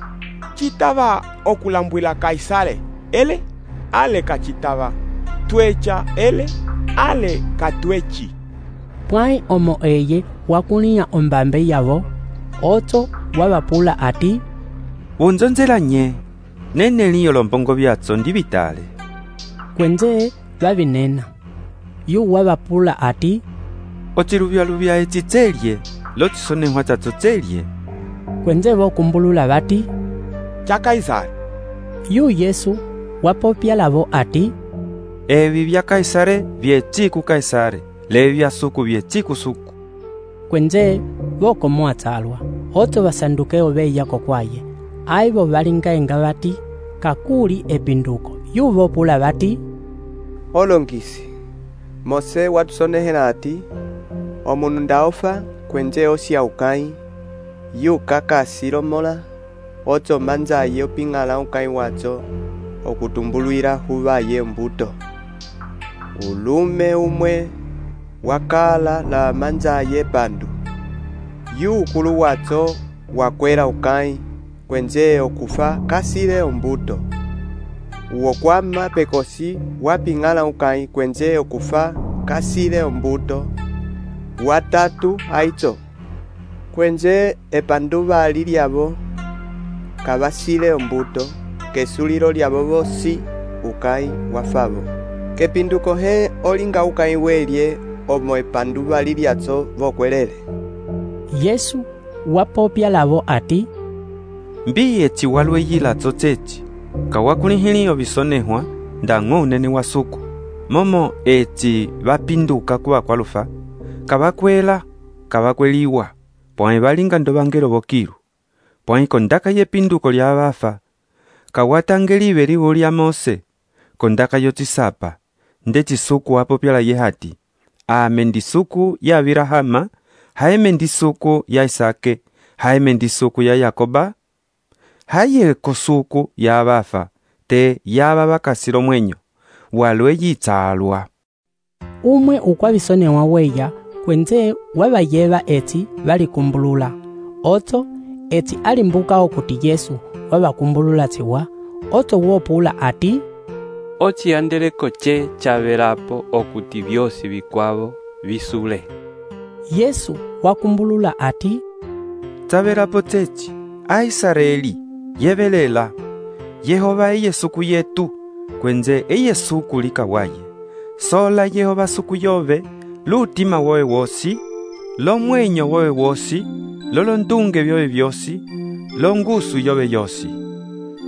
Chitava okulambwila Kaisale, ele ale kachitava, twecha ele ale katwechi. Pwai omo eye wakunia ombambe yavo, oto wavapula ati, unzonzela nye, nene liyo lombongo vyatso ndi vitale. Kwenze vavinena, yu wavapula ati, otiluvya-luvya eti tselye, lotisonehwa tatso tselye. Kwenze vokumbulula vati, cha Kaisari. Yu Yesu wapopya lavo ati, evi vya Kaisare vyechiku Kaisare, levi vya suku vyechiku suku. Kwenze voko mwatsalwa, oto vasandukeo veya kokwaye, aivo valingaenga vati kakuli epinduko yuvopula vati, olongisi Mose watusonehela ati omunu ndaofa kwenje osya ukai yuka kasilomola ocho manzaye oping'ala ukai wacho okutumbulwila huvaye mbuto ulume umwe wakala la manzaye pandu yu ukulu wacho wakwela ukai kwenje okufa kasile ombuto uwo kwama pekosi waping'ala ukai kwenje okufa kasile ombuto watatu aicho kwenje epanduva lilyavo kavasile ombuto kesulilo lyavo vosi ukai wafavo kepinduko he olinga ukai welye omo epanduva lilyacho vokwelele. Yesu wapopya lavo ati, mbi eci walweyilacho ceci kawakulihili ovisonehwa ndang'o unene wa suku momo eci vapinduka kuva kwalufa kavakwela kavakweliwa pwãe valinga ndovangelo vokilu pwãe kondaka yepinduko lya vafa kawatangelive liwo lya Mose kondaka yocisapa ndeci suku apopyala ye hati ame ndi suku ya Abrahama haeme ndi suku ya Isake haeme ndi suku ya Yakoba haye kosuku ya vafa te yava vakasilo mwenyo walwe yitsalwa umwe ukwavisonewa weya kwenze wavayeva eti valikumbulula oto eti alimbuka okuti Yesu wavakumbulula tiwa oto wopula ati, ociyandeleko ce chavelapo okuti vyosi vikwavo visule. Yesu wakumbulula ati, chavelapo ceci Aisraeli yevelela Yehova eye suku yetu kwenze eye suku likawaye sola Yehova suku yove lutima wowe wosi lomwenyo wowe wosi lolondunge vyowe vyosi longusu yove yosi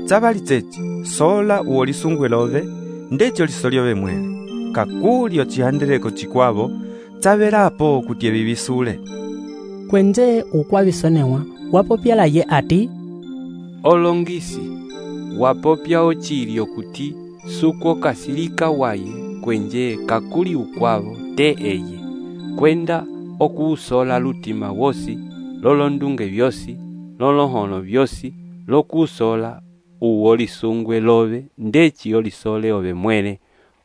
chavali ceci sola uwo lisungwe love ndecho liso lyove mwele kakuli ocihandeleko cikwavo chavelapo kuti evivisule kwenze ukwavisonewa wapopyala ye ati, olongisi wapopya ocili okuti suku okasilika waye kwenje kakuli ukwavo te eye kwenda okuusola lutima wosi lolondunge vyosi lolohono vyosi lokuusola uwo lisungwe love ndeci olisole ove mwene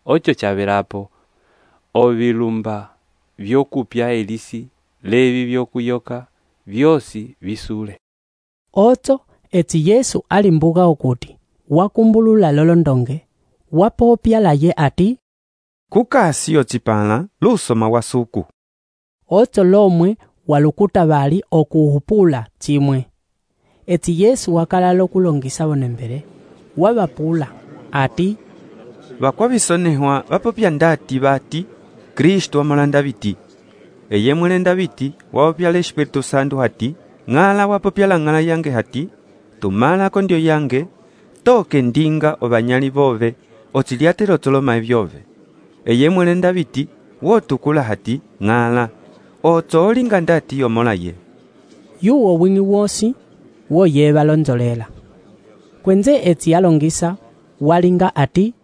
ocho chavelapo ovilumba vyokupya elisi levi vyokuyoka vyosi visule. Oto eti Yesu alimbuka okuti wakumbulula lolondonge wapopyala ye ati, kukasi ocipala lusoma wa suku oto lomwe walukuta vali okuhupula cimwe eti Yesu wakala lokulongisa vonembele wavapula ati, vakwavisonehwa vapopya ndati vati Kristu wamolanda viti eye mwelenda viti wapopyala Espiritu Santo hati ng'ala wapopyala ng'ala yange hati tumalako ndio yange toke ndinga ovanyali vove ociliatela otoloma evyove eye mwelenda viti wotukula hati ng'ala oco olinga ndati yomola ye yuwo wingi wosi woye valonzolela kwenze eti alongisa walinga ati,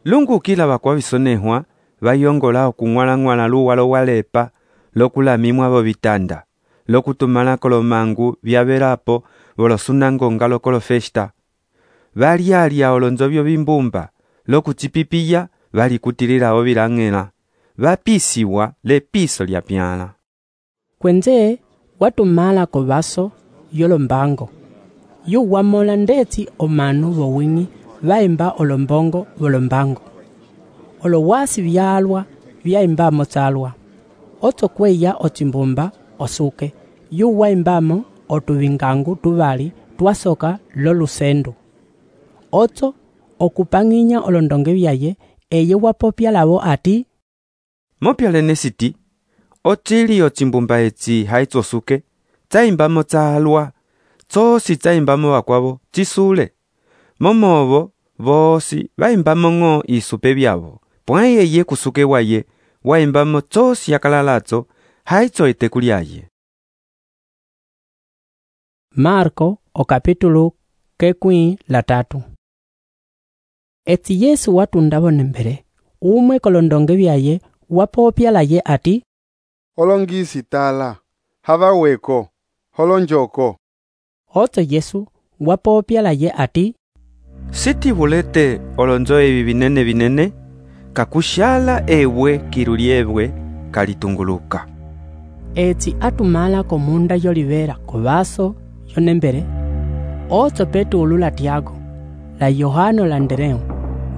lungukila vakwavisonehwa vayongola okung'walang'wala luwalo walepa lokulamimwa vo vitanda lokutumalako lomangu vyavelapo volosunangonga lokolo festa valyalya olonzovyo vimbumba lokucipipiya valikutililawo vilang'ela vapisiwa lepiso lya pyala kwenze watumalako vaso yolombango yu wamola ndeti omanu vowingi vaimba olombongo volombango olowasi vyalwa vyaimbamo tsalwa oto kweya ocimbumba osuke yu waimbamo otuvingangu tuvali twasoka lolusendu oto okupang'inya olondonge vyaye eye wapopya lavo ati, mopyalene siti ocili ocimbumba eci haitsosuke tsaimbamo tsalwa tsosi tsaimbamo vakwavo cisule momovo vosi vaimbamo ng'o isupe vyavo pwãe eye kusuke waye waimbamo tsosi yakalalatso haitso eteku lyaye. Marko o capítulo kekwi la tatu. Eti Yesu watundavo nembele, umwe kolondonge vyaye wapopya laye ati, olongisi tala, hava weko, holonjoko. Oto Yesu wapopya laye ati, sitivulete olonzo evi vinene vinene, kakushala ewe kilu lyebwe kalitunguluka. Eti atumala komunda yolivera kovaso yonembele, oto Petulu la Tiago, la Yohano la Andereu,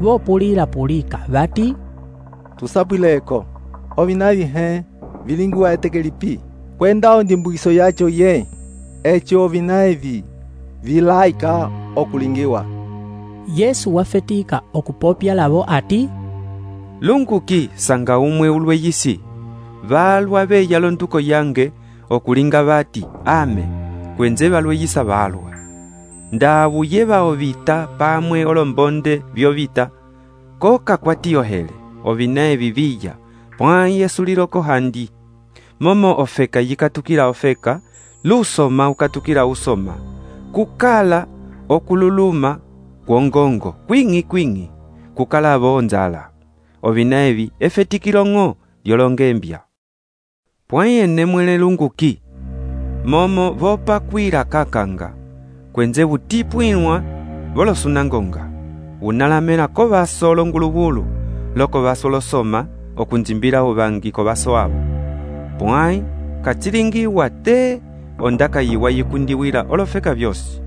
vopulila pulika vati, tusapwileko, ovinavi he, vilingiwa etekelipi, kwenda ondimbukiso yacho ye, echo ovinaevi, vilaika okulingiwa. Yesu wafetika okupopya lavo ati, lunguki sanga umwe ulweyisi, valwa veya londuko yange okulinga vati ame, kwenze valweyisa valwa. Ndavuye vao vita pamwe olombonde vyovita, koka kwatiyohele, ovinae viviya, pwai esuliloko handi. Momo ofeka yikatukila ofeka, lusoma ukatukila usoma, kukala okululuma kwongongo, kwingi kwingi, kukala vonzala. Ovinaevi efetikilongo lyolongembya. Pwai ene mwele lunguki, momo vopa kwira kakanga, kwenze vutipwinwa volosunangonga, unalamela kovaso longuluvulu, loko vaso losoma, okunzimbila uvangi kovaso avo. Pwai, kachilingiwa te, ondaka yiwa yikundiwila olofeka vyosi.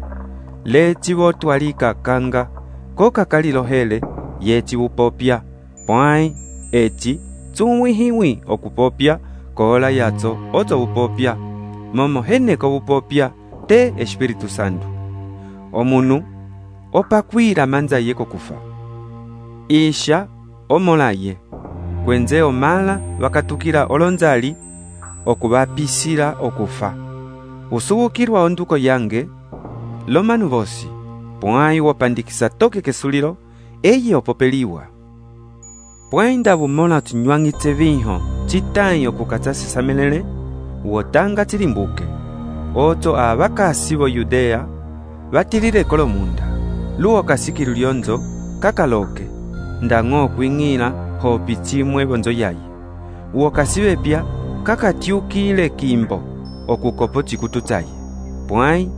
Leti votwalika kanga, koka kalilohele, yeti upopya. Pwai, eti, tsuwihiwi okupopya, kola yato oto upopya. Momo heneko upopya, te Espiritu Santo. Omunu, opakwira manza yeko kufa. Isha, omolaye, kwenze omala wakatukila olonzali, okuvapisila okufa. Usuwukirwa onduko yange, lomanu vosi, pwai wopandikisa toke kesulilo, eye opopeliwa. Pwai ndavumola tunywangitse vinho, chitanyi okukatsa sisamelele, uotanga chilimbuke. Oto avakasi vo Yudea, vatilile kolomunda, luo kasikilu lyonzo, kakaloke, ndang'o kwing'ila hopi chimwe vonzo yayi. Uo kasivepya, kakatiukile kimbo, okukopo chikutu chayi. Pwai,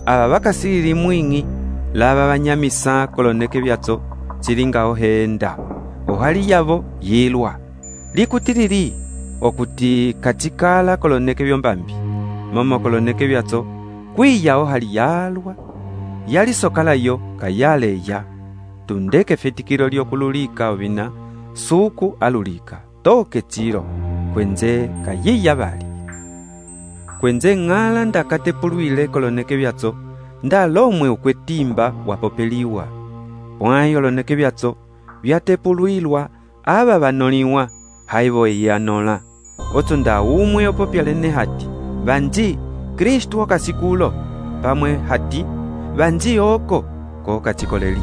ava vakasili mwingi, lava vanyamisa koloneke vyatso, chilinga ohenda. Ohali yavo yilwa. Likutilili, okuti kachikala koloneke vyombambi. Momo koloneke vyatso, kwiya ohali yalwa. Yali sokala yo kayaleya. Tundeke fetikilo lyokululika ovina, suku alulika, toke chiro, kwenze kayiya vali. Kwenze ng'ala ndakatepuluile koloneke vyatso, nda lomwe ukwetimba wapopeliwa. Pwai oloneke vyatso, vyatepuluilwa, ava vanoliwa, haivo eyanola. Oto nda umwe opopya lene hati, vanji, Kristu okasikulo, pamwe hati, vanji oko, koka chikoleli.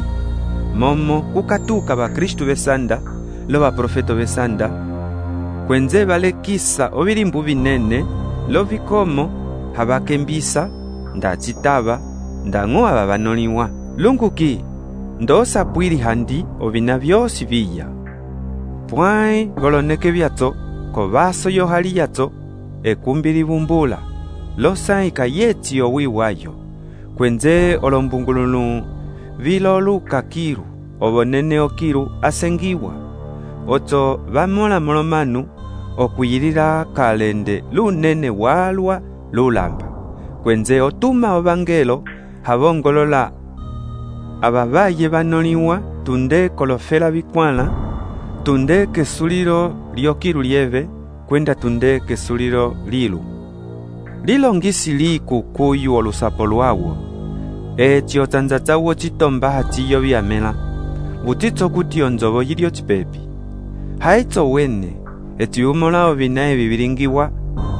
Momo kukatuka va Kristu vesanda, lo va profeto vesanda, kwenze valekisa ovilimbu vinene, lo vikomo, havakembisa, nda chitava, nda ng'oa va vanoliwa. Lunguki, ndosa pwili handi ovina vyosi viya. Pwai voloneke vyatso, kovaso yohali yatso, ekumbili vumbula, losa ikayeti owiwayo, kwenze olombungulunu, viloluka kiru, ovonene okiru asengiwa. Oto vamola molomanu, okuyilila kalende lunene walwa lulamba. Kwenze otuma ovangelo, havongolola abavaye vanoliwa, tunde kolofela vikwala, tunde kesulilo lyokiru lieve, kwenda tunde kesulilo lilu. Lilongisi liku kuyu olusapo lwawo, eti otanzatawo chitomba hatiyo vyamela, utitso kuti onzovo yilio chipepi. Haitso wene, eti umola ovinae vivilingiwa,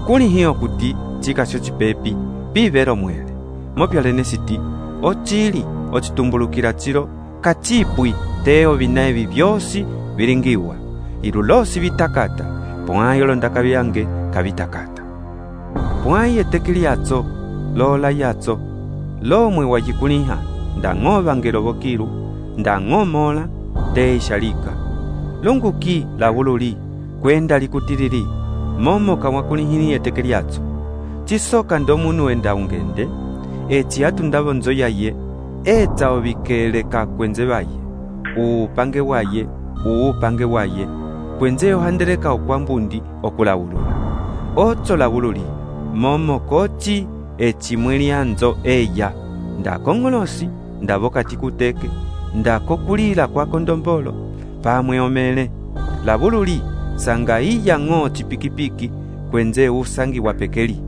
kuli hiyo kuti chikasho chipepi, pivero mwele. Mopyalene siti, ochili, ochitumbulukila chilo, kachipwi, te ovinae vivyosi vilingiwa. Ilulosi vitakata, pwai olondaka vyange kavitakata. Pwai etekili yatso, lola yatso, lomwe wajikuliha, ndang'o vangelo vokilu ndang'o mola teishalika lunguki lavululi kwenda likutilili momo kamwakulihini eteke lyatso chisoka ndo munu wenda ungende eci atundavo nzo yaye etsa ovikeleka kwenze vaye uupange waye uupange waye kwenze ohandeleka okwambundi okulavulula otso lavululi momo kochi ecimwe lyanzo eya ndakong'olosi ndavokati kuteke ndakokulila kwa kondombolo pamwe omele lavululi sanga iya ng'o chipikipiki kwenze usangi wa pekeli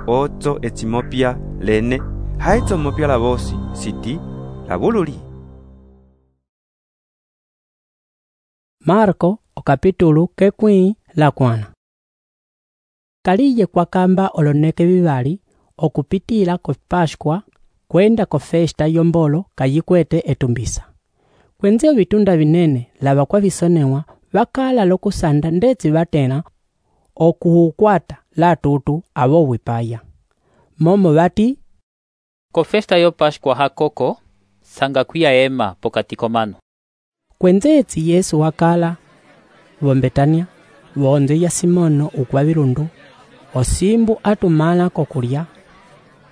otso ecimopya lene haitso mopya lavosi siti lavululi. Marko okapitulu kekwi la kwana. Kaliye kwa kamba oloneke vivali okupitila ko Pashkwa kwenda ko festa yombolo kayikwete etumbisa. Kwenze vitunda vinene lava kwa visonewa vakala lokusanda ndetsi vatena okuhukwata la tutu avo wipaya. Momo vati ko festa yo Pashkwa hakoko sanga kuya ema pokati komano. Kwenze etsi Yesu wakala vombetania vonze ya Simono ukwa virundu osimbu atumala kokulya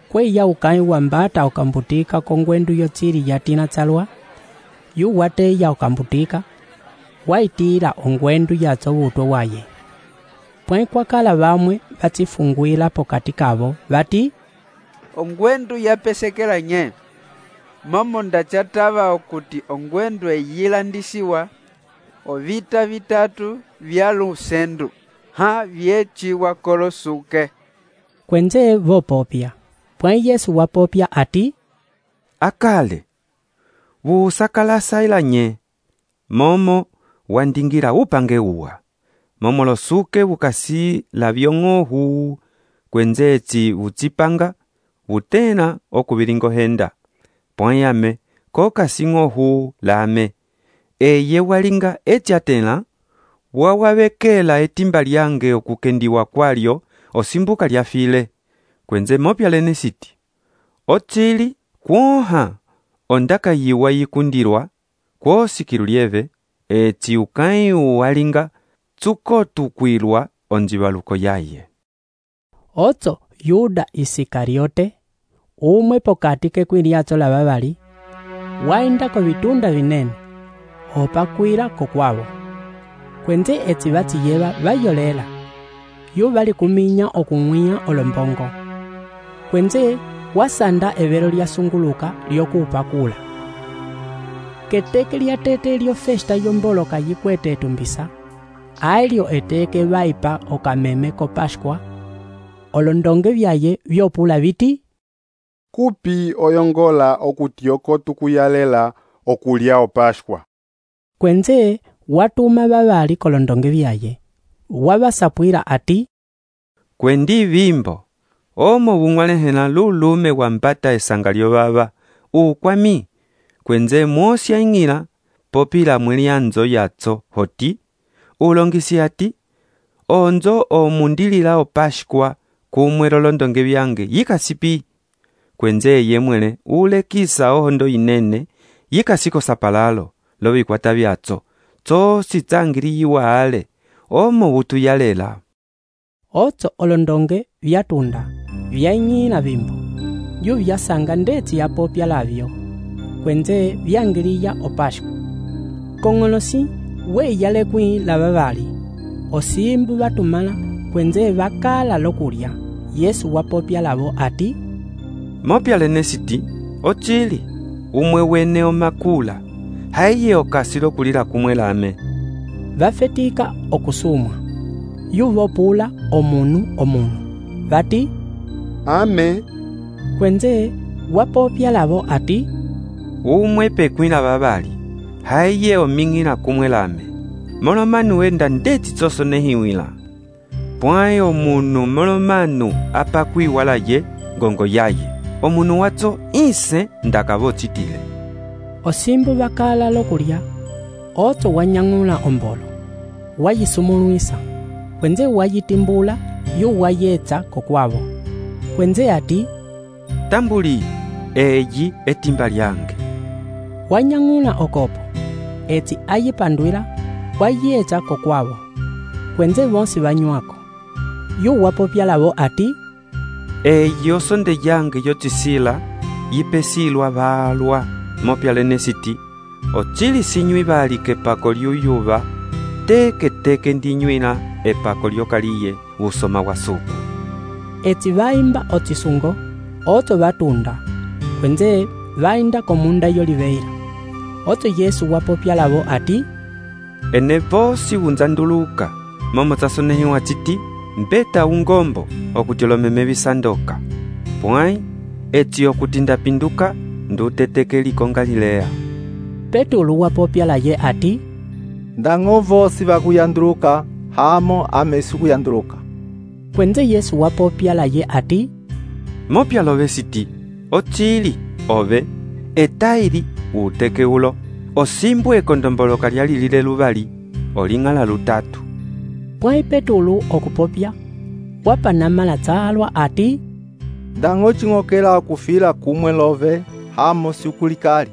kweya ukai wambata okambutika kongwendu yotsiri yatina tsalwa yu wateya okambutika waitira ongwendu yatso vutwe waye pwe kwakala vamwe vatsifungwila pokati kavo vati ongwendu yapesekela nye momo ndachatava okuti ongwendu eyilandisiwa ovita vitatu vya lusendu ha vyeciwa kolosuke. Kwenze vopopya pwe Yesu wapopya ati akale vusakala ila nye momo wandingira upange uwa momo losuke vukasi la vyong'ohu kwenze etsi vutsipanga vutena okuvilingohenda pwayame kokasi ng'ohu lame eye walinga etiatela wawavekela etimba lyange okukendiwa kwalyo osimbuka lyafile kwenze mopya lene siti otsili kwoha ondaka yiwa yikundirwa kwosikilu lyeve eti ukai walinga tsuko tukwilwa onjivaluko yaye. Otso Yuda Isikariote umwe pokati kekwiliatso la vavali waenda ko vitunda vinene opakwila kokwavo kwenze etsi vatsiyeva vayolela yu vali kuminya okung'wiya olombongo kwenze wasanda evelo lyasunguluka lyokupakula keteke lyatete lyo festa yombolo kayikwete etumbisa ailyo eteke vaipa okameme ko Pashkwa olondonge vyaye vyopula viti kupi oyongola okuti oko tukuyalela okulya o Pashkwa. Kwenze watuma vavali kolondonge vyaye wavasapwila ati kwendi vimbo omo vung'walehela lulume wambata esanga lyo vava ukwami kwenze mwosi aing'ila popila mwelianzo yatso hoti ulongisi ati onzo omundilila o Pashkwa kumwe lolondonge vyange yikasipi kwenze yemwele ulekisa ohondo inene yikasiko sapalalo lovikwata vyatso tsosi tsangiliyiwa ale omo vutuyalela. Otso olondonge vyatunda vyaing'ila vimbo yu vyasanga ndetsi yapopya lavyo kwenze vyangiliya o Pashkwa kong'olosi weyale kwi la vavali osimbu vatumala kwenze vakala lokulya Yesu wapopya lavo ati mopya lene siti ochili umwe wene omakula haiye okasi lokulila kumwe lame vafetika okusumwa yu vopula omunu omunu vati ame kwenze wapopya lavo ati umwe pekwila vavali haiye oming'ila kumwe lame molomanu wenda ndeti tsoso nehiwila pwaye omunu molomanu apakwiwala ye ngongo yaye omunu watso ise ndakavotsitile osimbu vakala lokulya otso wanyang'ula ombolo wayisumulwisa kwenze wayitimbula yu wayetsa kokwavo kwenze ati tambuli eyi etimba lyange wanyang'ula okopo eti ayipandwila wayecha kokwavo kwenze vonsi vanywako. Yu wapopya lavo ati, eyo sonde yange yotisila yipesilwa valwa mopyalene siti ocili sinywi vali kepako lyuyuva teke teke ndinywila epako lyokaliye usoma wa suku. Eti vaimba otisungo oto vatunda kwenze vainda komunda yoliveira. Oto Yesu wapopya lavo ati, ene vosi unzanduluka momo tasonehiwa titi mbeta ungombo okuti olomeme visandoka pwai eti okuti ndapinduka ndutetekeliko Galilea. Petulu wapopya laye ati, ndang'o vosi vakuyanduluka hamo amesi kuyanduluka. Kwenze Yesu wapopya laye ati, mopya love siti ocili ove etaili uteke ulo osimbwe ekondomboloka lyalilile luvali oling'ala lutatu. Pwai Petulu okupopya wapanamala tsalwa ati, ndang'o ching'okela kufila kumwe love hamo siukulikali.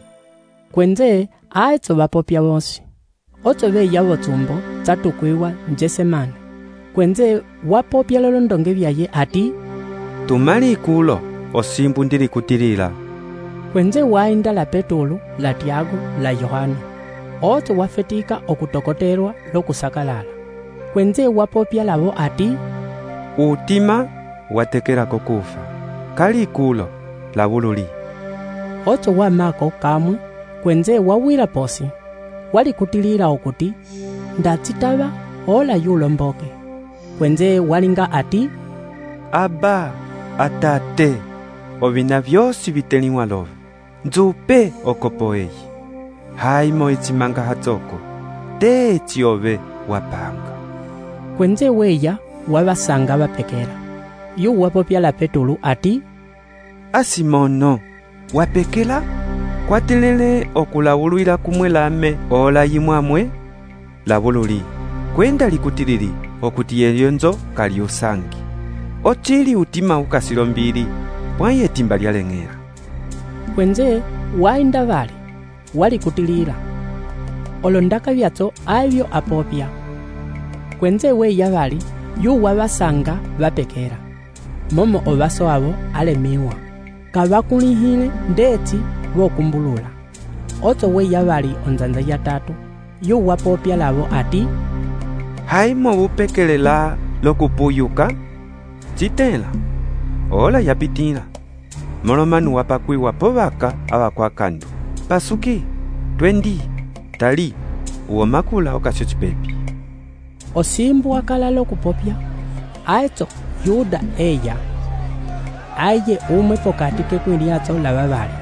Kwenze aetso vapopya vonsi oto veya votsumbo tsatukwiwa njesemane. Kwenze wapopya lolondonge vyaye ati, tumali ikulo osimbu ndilikutilila. Kwenze wainda la Petulu, la Tiago, la Yohana oto wafetika okutokoterwa lokusakalala. Kwenze wapopya lavo ati, utima watekelako kufa kali ikulo la vululi. Oto wamako kamwe kwenze wawila posi walikutilila okuti ndatsitava ola yulomboke. Kwenze walinga ati, aba atate ovina vyosi viteliwa love nzupe okopo eyi haimo itsimanga hatsoko te eti ove wapanga. Kwenze weya wavasanga vapekela. Yu wapopya la Petulu ati, asimono wapekela kwatelele okulawulwila kumwe lame ola yimwamwe lavululi kwenda likutilili okuti yelyonzo kali usangi ocili utima ukasilo mbili pwaye timba lyaleng'ela. Kwenze wainda vali walikutilila olondaka vyatso avyo apopya. Kwenze weya vali yu wavasanga vapekela momo ovaso avo alemiwa kavakulihile ndeti vokumbulula. Oto weya vali onzanza ya tatu yu wapopya lavo ati, haimo vupekelela lokupuyuka citela ola yapitila molomanu wapakwiwa povaka avakwakandu pasuki twendi tali uwomakula okasyo cipepi. Osimbu wakala lokupopya aetso Yuda eya aye umwe pokati kekwiliatso lava vali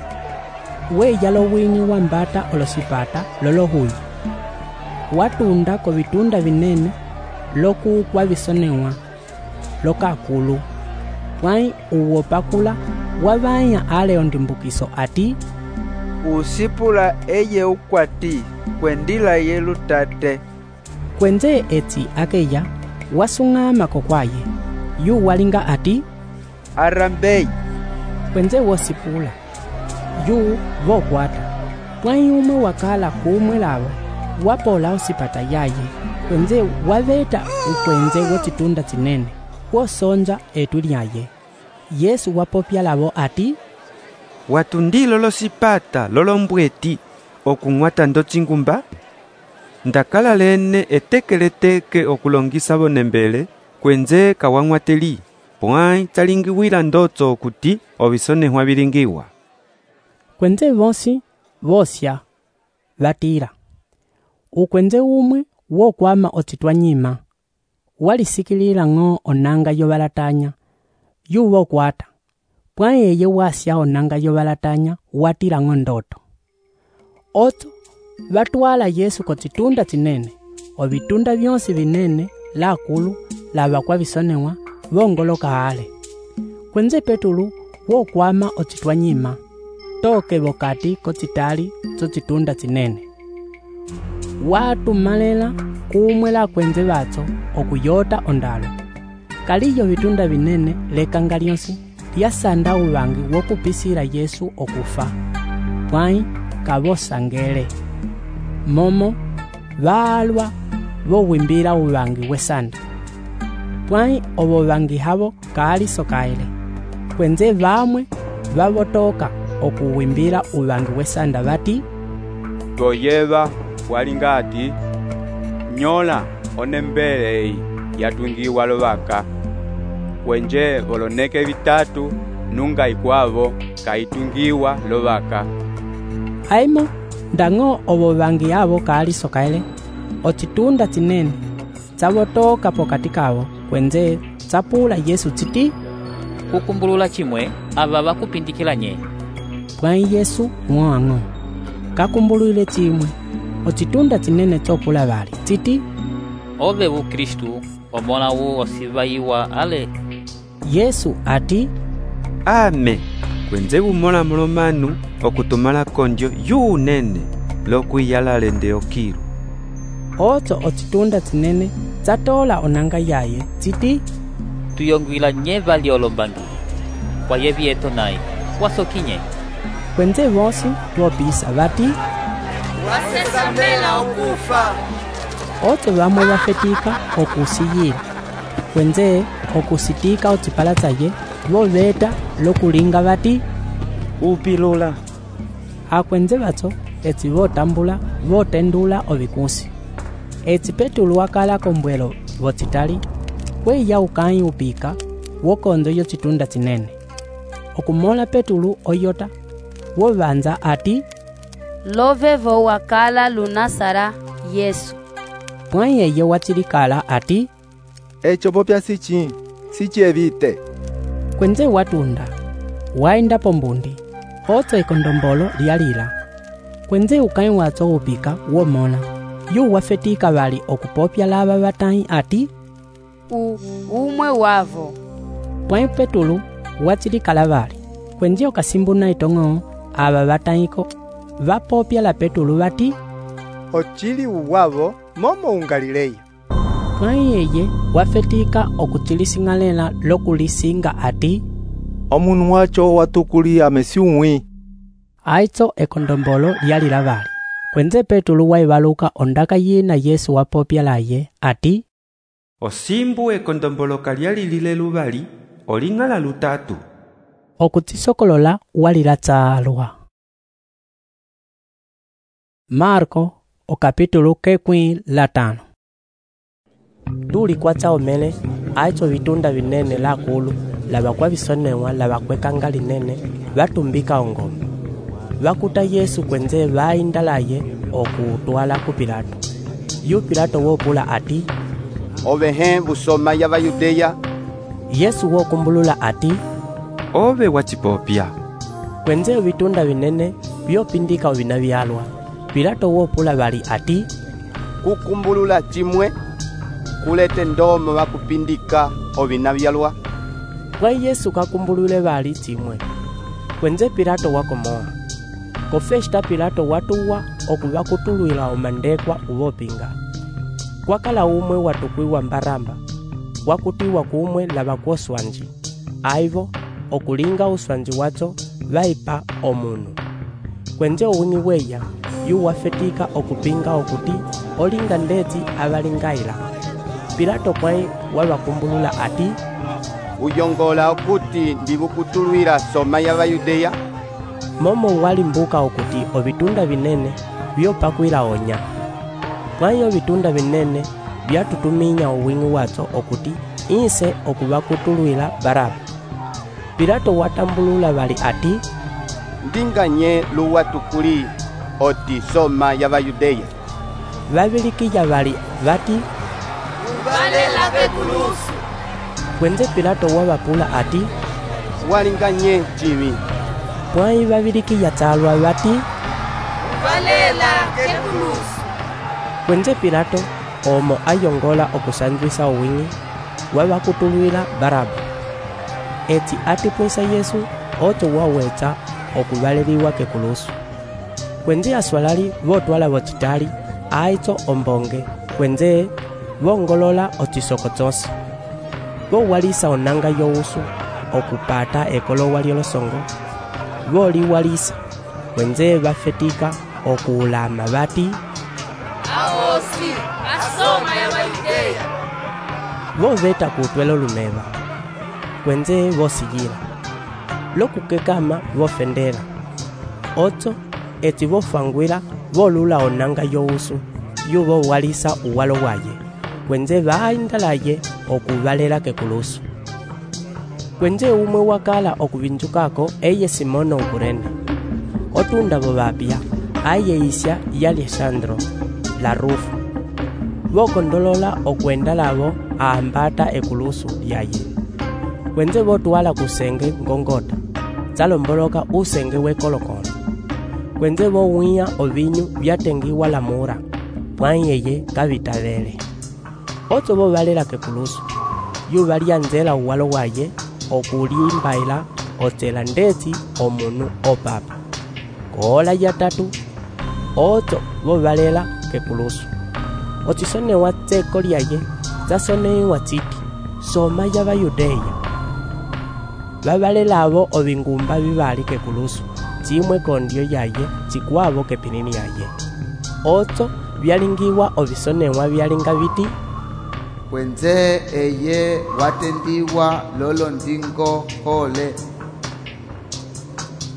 weya lowingi wambata olosipata lolohuyi watunda ko vitunda vinene lokukwa visonewa lokakulu pwai uwopakula wavanya ale ondimbukiso ati, usipula eye ukwati kwendila ye lutate. Kwenze eti akeya wasung'ama kokwaye yu walinga ati, arambei. Kwenze wosipula yu vokwata pwai umwe wakala kumwe lavo wapola osipata yaye. Kwenze waveta ukwenze wotitunda tinene wosonja etu lyaye. Yesu wapopya lavo ati, watundilo losipata lolombweti okung'wata ndo chingumba ndakala lene etekeleteke okulongisa vonembele kwenze kawang'wateli pwai talingiwila ndotso okuti ovisonehwa vilingiwa. Kwenze vonsi vosya vatila ukwenze umwe wokwama otitwa nyima walisikilila ng'o onanga yovalatanya yu vokwata pwai eye wasya onanga yovalatanya watila ng'o ndoto. Oto vatwala Yesu kotitunda tinene ovitunda vyonsi vinene lakulu lavakwa visonewa vongoloka ale. Kwenze Petulu wokwama otitwa nyima toke vokati kotitali tsotitunda tinene watumalela kumwe la kwenze vatso okuyota ondalo kaliyo vitunda vinene lekanga lyonsi lyasanda uvangi wokupisila Yesu okufa pwai kavosangele. Momo valwa vowimbila uvangi wesanda. Pwai ovo vangi havo kali sokaele. Kwenze vamwe vavotoka okuwimbila uvangi wesanda vati, toyeva walinga ati nyola onembele eyi yatungiwa lovaka. Kwenje voloneke vitatu nunga ikwavo kaitungiwa lovaka. Aimo ndang'o ovo vangi avo kali sokaele ocitunda cinene cavotoka pokati kavo. Kwenze tsapula Yesu citi, kukumbulula chimwe ava vakupindikila nye. Pwai Yesu ng'oang'o kakumbulwile chimwe ocitunda cinene tsopula vali citi, ove vu Kristu omona wu osivayiwa ale. Yesu ati, ame. Kwenze bumola mulomanu okutumala kondio yunene lokwiyalale nde okilu. Oto ocitunda cinene tsatola onanga yaye citi, tuyongwila nye vali olombangi kwa yevieto nai wasokinye. Kwenze vosi vopisa vati, wasesamela okufa. Oto vamwe vafetika okusiyila. Kwenze okusitika ocipala tsaye voveta lokulinga vati, upilula. Akwenze vatso etsi votambula votendula ovikusi. Etsi Petulu wakala kombwelo vocitali kweya ukanyi upika wokonzo yo citunda cinene. Okumola Petulu oyota wovanza ati, lovevo wakala lunasara Yesu. Pwai eye wacilikala ati, echo popya sichi sichievite. Kwenze watunda waenda pombundi otso ekondombolo lyalila. Kwenze ukanyi watso upika womona yu wafetika vali okupopya lava vatanyi ati, u umwe wavo. Pwai Petulu wacilikala vali. Kwenze okasimbuna itong'o ava vatanyiko vapopya la Petulu vati, ochili uwavo momo ungalileya. Pwai eye wafetika okuchilising'alela lokulisinga ati, omunu wacho watukuli amesiumwi. Aitso ekondombolo lyalila vali. Kwenze Petulu waivaluka ondaka yina Yesu wapopya laye ati, osimbu ekondombolo kalyalilile luvali oling'ala lutatu. Okutisokolola walila tsalwa. Marko okapitulu kekwi latano. Tuli kwatsa omele aitso vitunda vinene lakulu lavakwa visonewa lavakwekanga linene vatumbika ongome. Vakuta Yesu kwenze vainda laye okutwala ku Pilato. Yu Pilato wopula ati, ovehe busoma ya Bayudeya. Yesu wokumbulula ati, ove wacipopya. Kwenze vitunda vinene vyopindika ovina vyalwa. Pilato wopula vali ati, kukumbulula chimwe kulete ndomo vakupindika ovina vyalwa. Pwai Yesu kakumbulule vali chimwe. Kwenze Pilato wakomoa. Kofesta Pilato watuwa okuvakutulwila omandekwa uvopinga. Kwakala umwe watukwiwa Mbaramba wakutiwa kumwe lavakwoswanji. Aivo okulinga uswanji watso vaipa omunu. Kwenze owini weya yu wafetika okupinga okuti olinga ndeti avalingaila. Pilato pwai wavakumbulula ati, uyongola okuti ndivukutulwila soma ya Bayudeya. Momo walimbuka okuti ovitunda vinene vyopakwila onya. Pwai ovitunda vinene vyatutuminya uwingu watso okuti inse okuvakutulwila Baraba. Pilato watambulula vali ati, ndinganye luwatukuli oti soma ya Bayudeya. Vavilikiya vali vati, uvalela kekulusu. Kwenze Pilato wavapula ati, walinganye chimi. Pwai vavilikiya tsalwa vati, uvalela kekulusu. Kwenze Pilato omo ayongola okusanjwisa owingi wavakutulwila Baraba. Eti atipwisa Yesu otso wawetsa okuvaleliwa kekulusu. Kwenze aswalali votwala vocitali aitso ombonge. Kwenze vongolola ocisoko tsosi. Vowalisa onanga yowusu okupata ekolowa lyolosongo. Voliwalisa. kwenze bafetika okuulama bati aosi asoma ya Bayudeya. boveta kutwela olumeba kwenze bosigila lokukekama bofendela otso eti bofangwila bolula onanga yousu yubo walisa uwalo waye kwenze baindalaye okubalela kekulusu kwenze umwe wakala okuvinjukako eye Simono ukurena otunda bo bapya aye isya ya Alessandro la Rufu bokondolola okwenda labo aambata ekulusu lyaye kwenze botwala kusenge ngongota zalomboloka usenge wekolokolo kwenze bowiya ovinyu byatengiwa lamura pwanyeye kavitalele otso bobalela kekulusu yubalya nzela uwalo waye okulimbaila otsela ndeti omunu opapa koola ya tatu otso bobalela kekulusu otsisonewa tseko lyaye tsasonewa tsiti soma ya Bayudeya babalelabo obingumba bibali kekulusu tsimwe kondyo yaye tsikwabo kepinini yaye otso byalingiwa obisonewa byalinga biti kwenze eye watendiwa lolo ndingo hole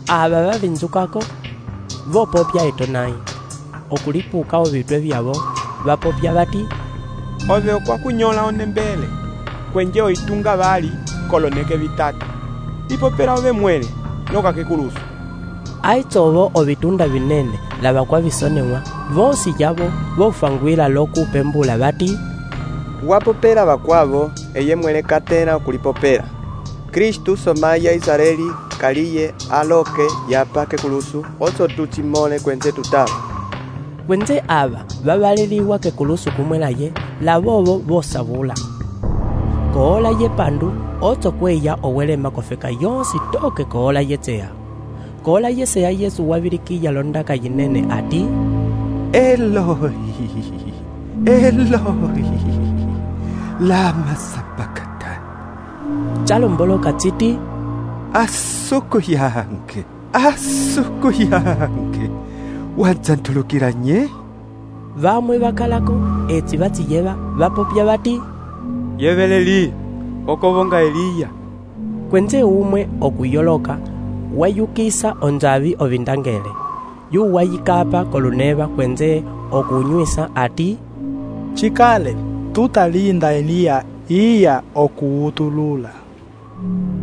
aba bavinzukako bopopya etonai okulipuka obitwe byabo bapopya bati ove okwakunyola onembele kwenje oitunga bali koloneke bitatu ipopera ove mwele loka kekulusu aitsobo obitunda binene laba kwa bisonewa vosi yabo bofangwila lokupembula bati wapopera bakwabo eye mwele katena okulipopera Kristu somaya Israeli kaliye aloke yapa kekulusu otso tutsimole kwenze tutaba kwenze aba babaleliwa kekulusu kumwelaye labobo bosabula koola ye pandu otso kweya owelema kofeka yonsi toke koola yetseya koola yeseya Yesu wabilikiya londaka yinene ati Eloi Eloi lama sabakatani chalomboloka tsiti asuku yange asuku yange wanzantulukila nye bamwe bakalako etsi batsiyeba bapopya bati yebeleli okobonga Eliya kwenze umwe okuyoloka wayukisa onzabi ovindangele yu wayikapa koluneba kwenze okunywisa ati chikale tutalinda Eliya iya okuutulula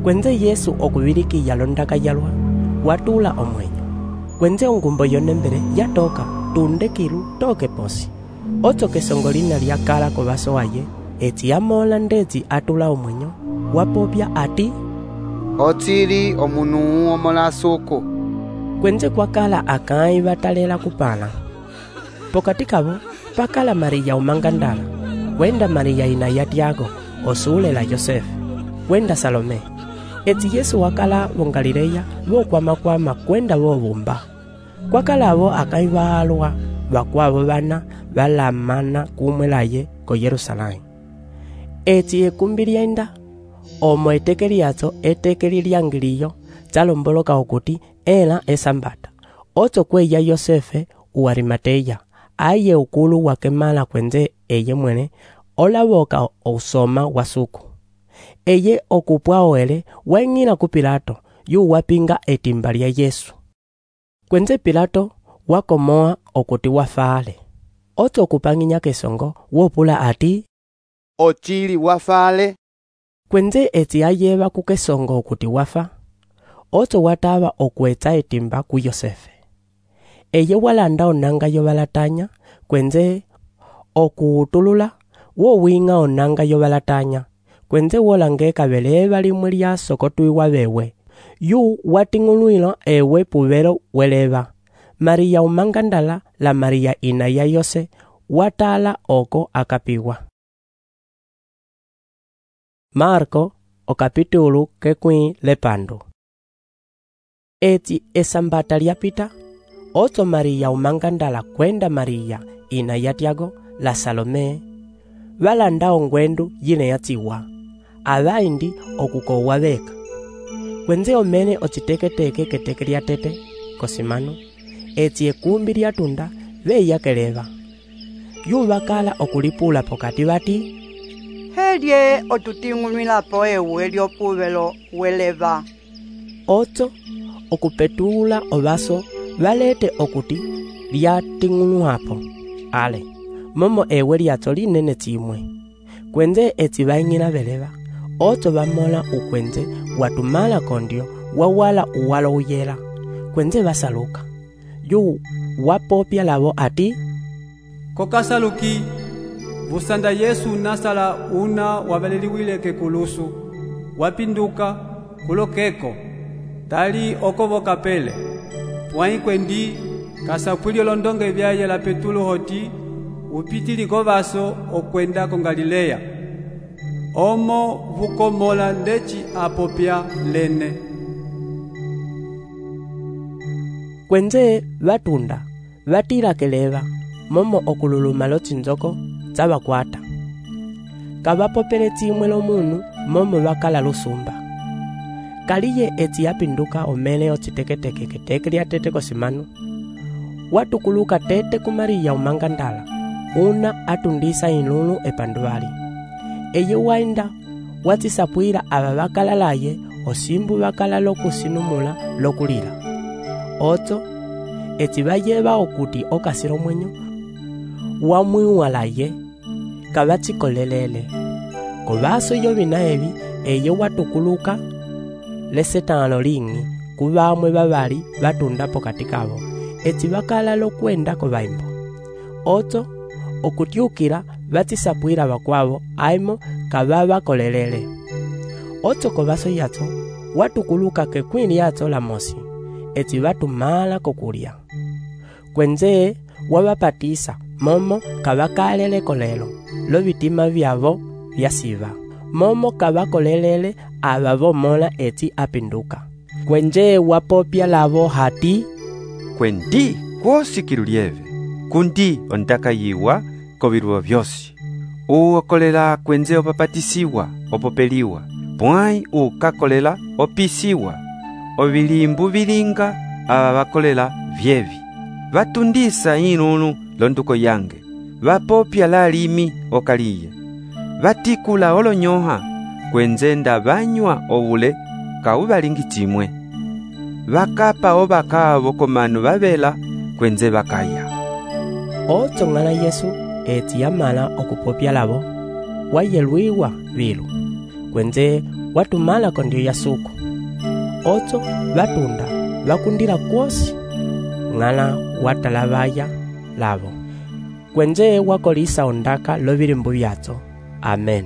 kwenze Yesu okubilikiya londaka yalwa watula omwenyo kwenze ongumbo yonembele yatoka tunde kilu toke posi otso kesongolina lyakala kobaso waye eti yamola ndetsi atula omwenyo wapopya ati otsili omunu omolasuku kwenze kwakala akai batalela kupala pokati kabo pakala Maria umangandala kwenda Maria ina ya Tiago osulela Yosefe kwenda Salome eti Yesu wakala bongalileya bokwamakwama kwenda bobumba kwakalabo akai baalwa bakwabo bana balamana kumwelaye ko Yerusalemu eti ekumbi lyenda omo eteke lyatso eteke lyangiliyo tsalomboloka okuti ela esambata otso kweya Yosefe uarimateya aye ukulu wakemala kwenze eye mwene olaboka ousoma wasuku eye okupwa oele weng'ila ku Pilato yu wapinga etimba lya Yesu kwenze Pilato wakomoa okuti wafale otso okupang'inya kesongo wopula ati ochili wafale kwenze eti ayeba kukesongo okuti wafa otso wataba okwetsa etimba ku Yosefe eye walanda onanga yobalatanya kwenze okuutulula wowinga onanga yobalatanya kwenze wolangeka beleba limwe lya sokotwiwa bewe yu wating'ulwila ewe pubelo weleba Maria umangandala la Maria ina ya Yose watala oko akapiwa Marko o capítulo kekwi lepando eti esambata lyapita otso Maria umangandala kwenda Maria ina ya Tiago la Salome balanda ongwendu yine yatsiwa abaindi okukowa beka kwenze omene otsiteketeke keteke lya tete kosimano eti ekumbi lyatunda veya keleva. Yuvakala okulipula pokati vati, helye otuting'ulwilapo ewe lyopuvelo weleva. Otso okupetula ovaso valete okuti lyating'ulwapo ale momo ewe lyatso linene tsimwe. Kwenze eti vaing'ina veleva, otso vamola ukwenze watumala kondyo wawala uwalo uyela. Kwenze vasaluka. Yu wapopya lavo ati, kokasaluki vusanda Yesu nasala una wavaleliwile kekulusu wapinduka kulokeko tali okovoka pele pwai kwendi kasapwili olondonge vyaye la Petulo hoti upitiliko vaso okwenda ko Galileya omo vukomola ndeci apopya lene. Kwenze vatunda vatira keleva momo okululuma lotsinzoko tsavakwata. Kavapopele tsimwe lomunu momo vakala lusumba. Kaliye eti yapinduka omele otsiteketeke keteke lyatete kosimanu. Watukuluka tete kumariya umangandala una atundisa inlulu epanduvali. Eye wainda watsisapwila ava vakala laye osimbu vakala lokusinumula lokulila. Otso eti vayeva okuti okasiro mwenyo wamwiwalaye kavatsikolelele. Kovaso iyo vina evi eye watukuluka lesetano ling'i kuvamwe vavali vatunda pokati kavo eti vakala lokwenda kovaimbo. Otso okutyukila vatsisapwila vakwavo aimo kavavakolelele. Otso kovaso yatso watukuluka kekwili yatso la mosi eti vatumala kokulya. Kwenze wavapatisa momo kavakalele kolelo lovitima vyavo vyasiva momo kavakolelele avavomola eti apinduka. Kwenje wapopya lavo hati, kwendi kwosikilo lyeve kundi ondaka yiwa koviluwa vyosi uokolela kwenze opapatisiwa opopeliwa pwai ukakolela opisiwa ovilimbu vilinga ava vakolela vyevi vatundisa inunu londuko yange vapopya lalimi okaliye vatikula olonyoha kwenze nda vanywa ovule kauvalingi tsimwe vakapa ovakavo komanu vavela kwenze vakaya. Otso ng'ala Yesu eti yamala okupopya lavo wayelwiwa vilu kwenze watumala kondyo yasuku. Otso vatunda vakundila kwosi ng'ala watalavaya lavo kwenze wakolisa ondaka lovilimbu vyatso. Amen.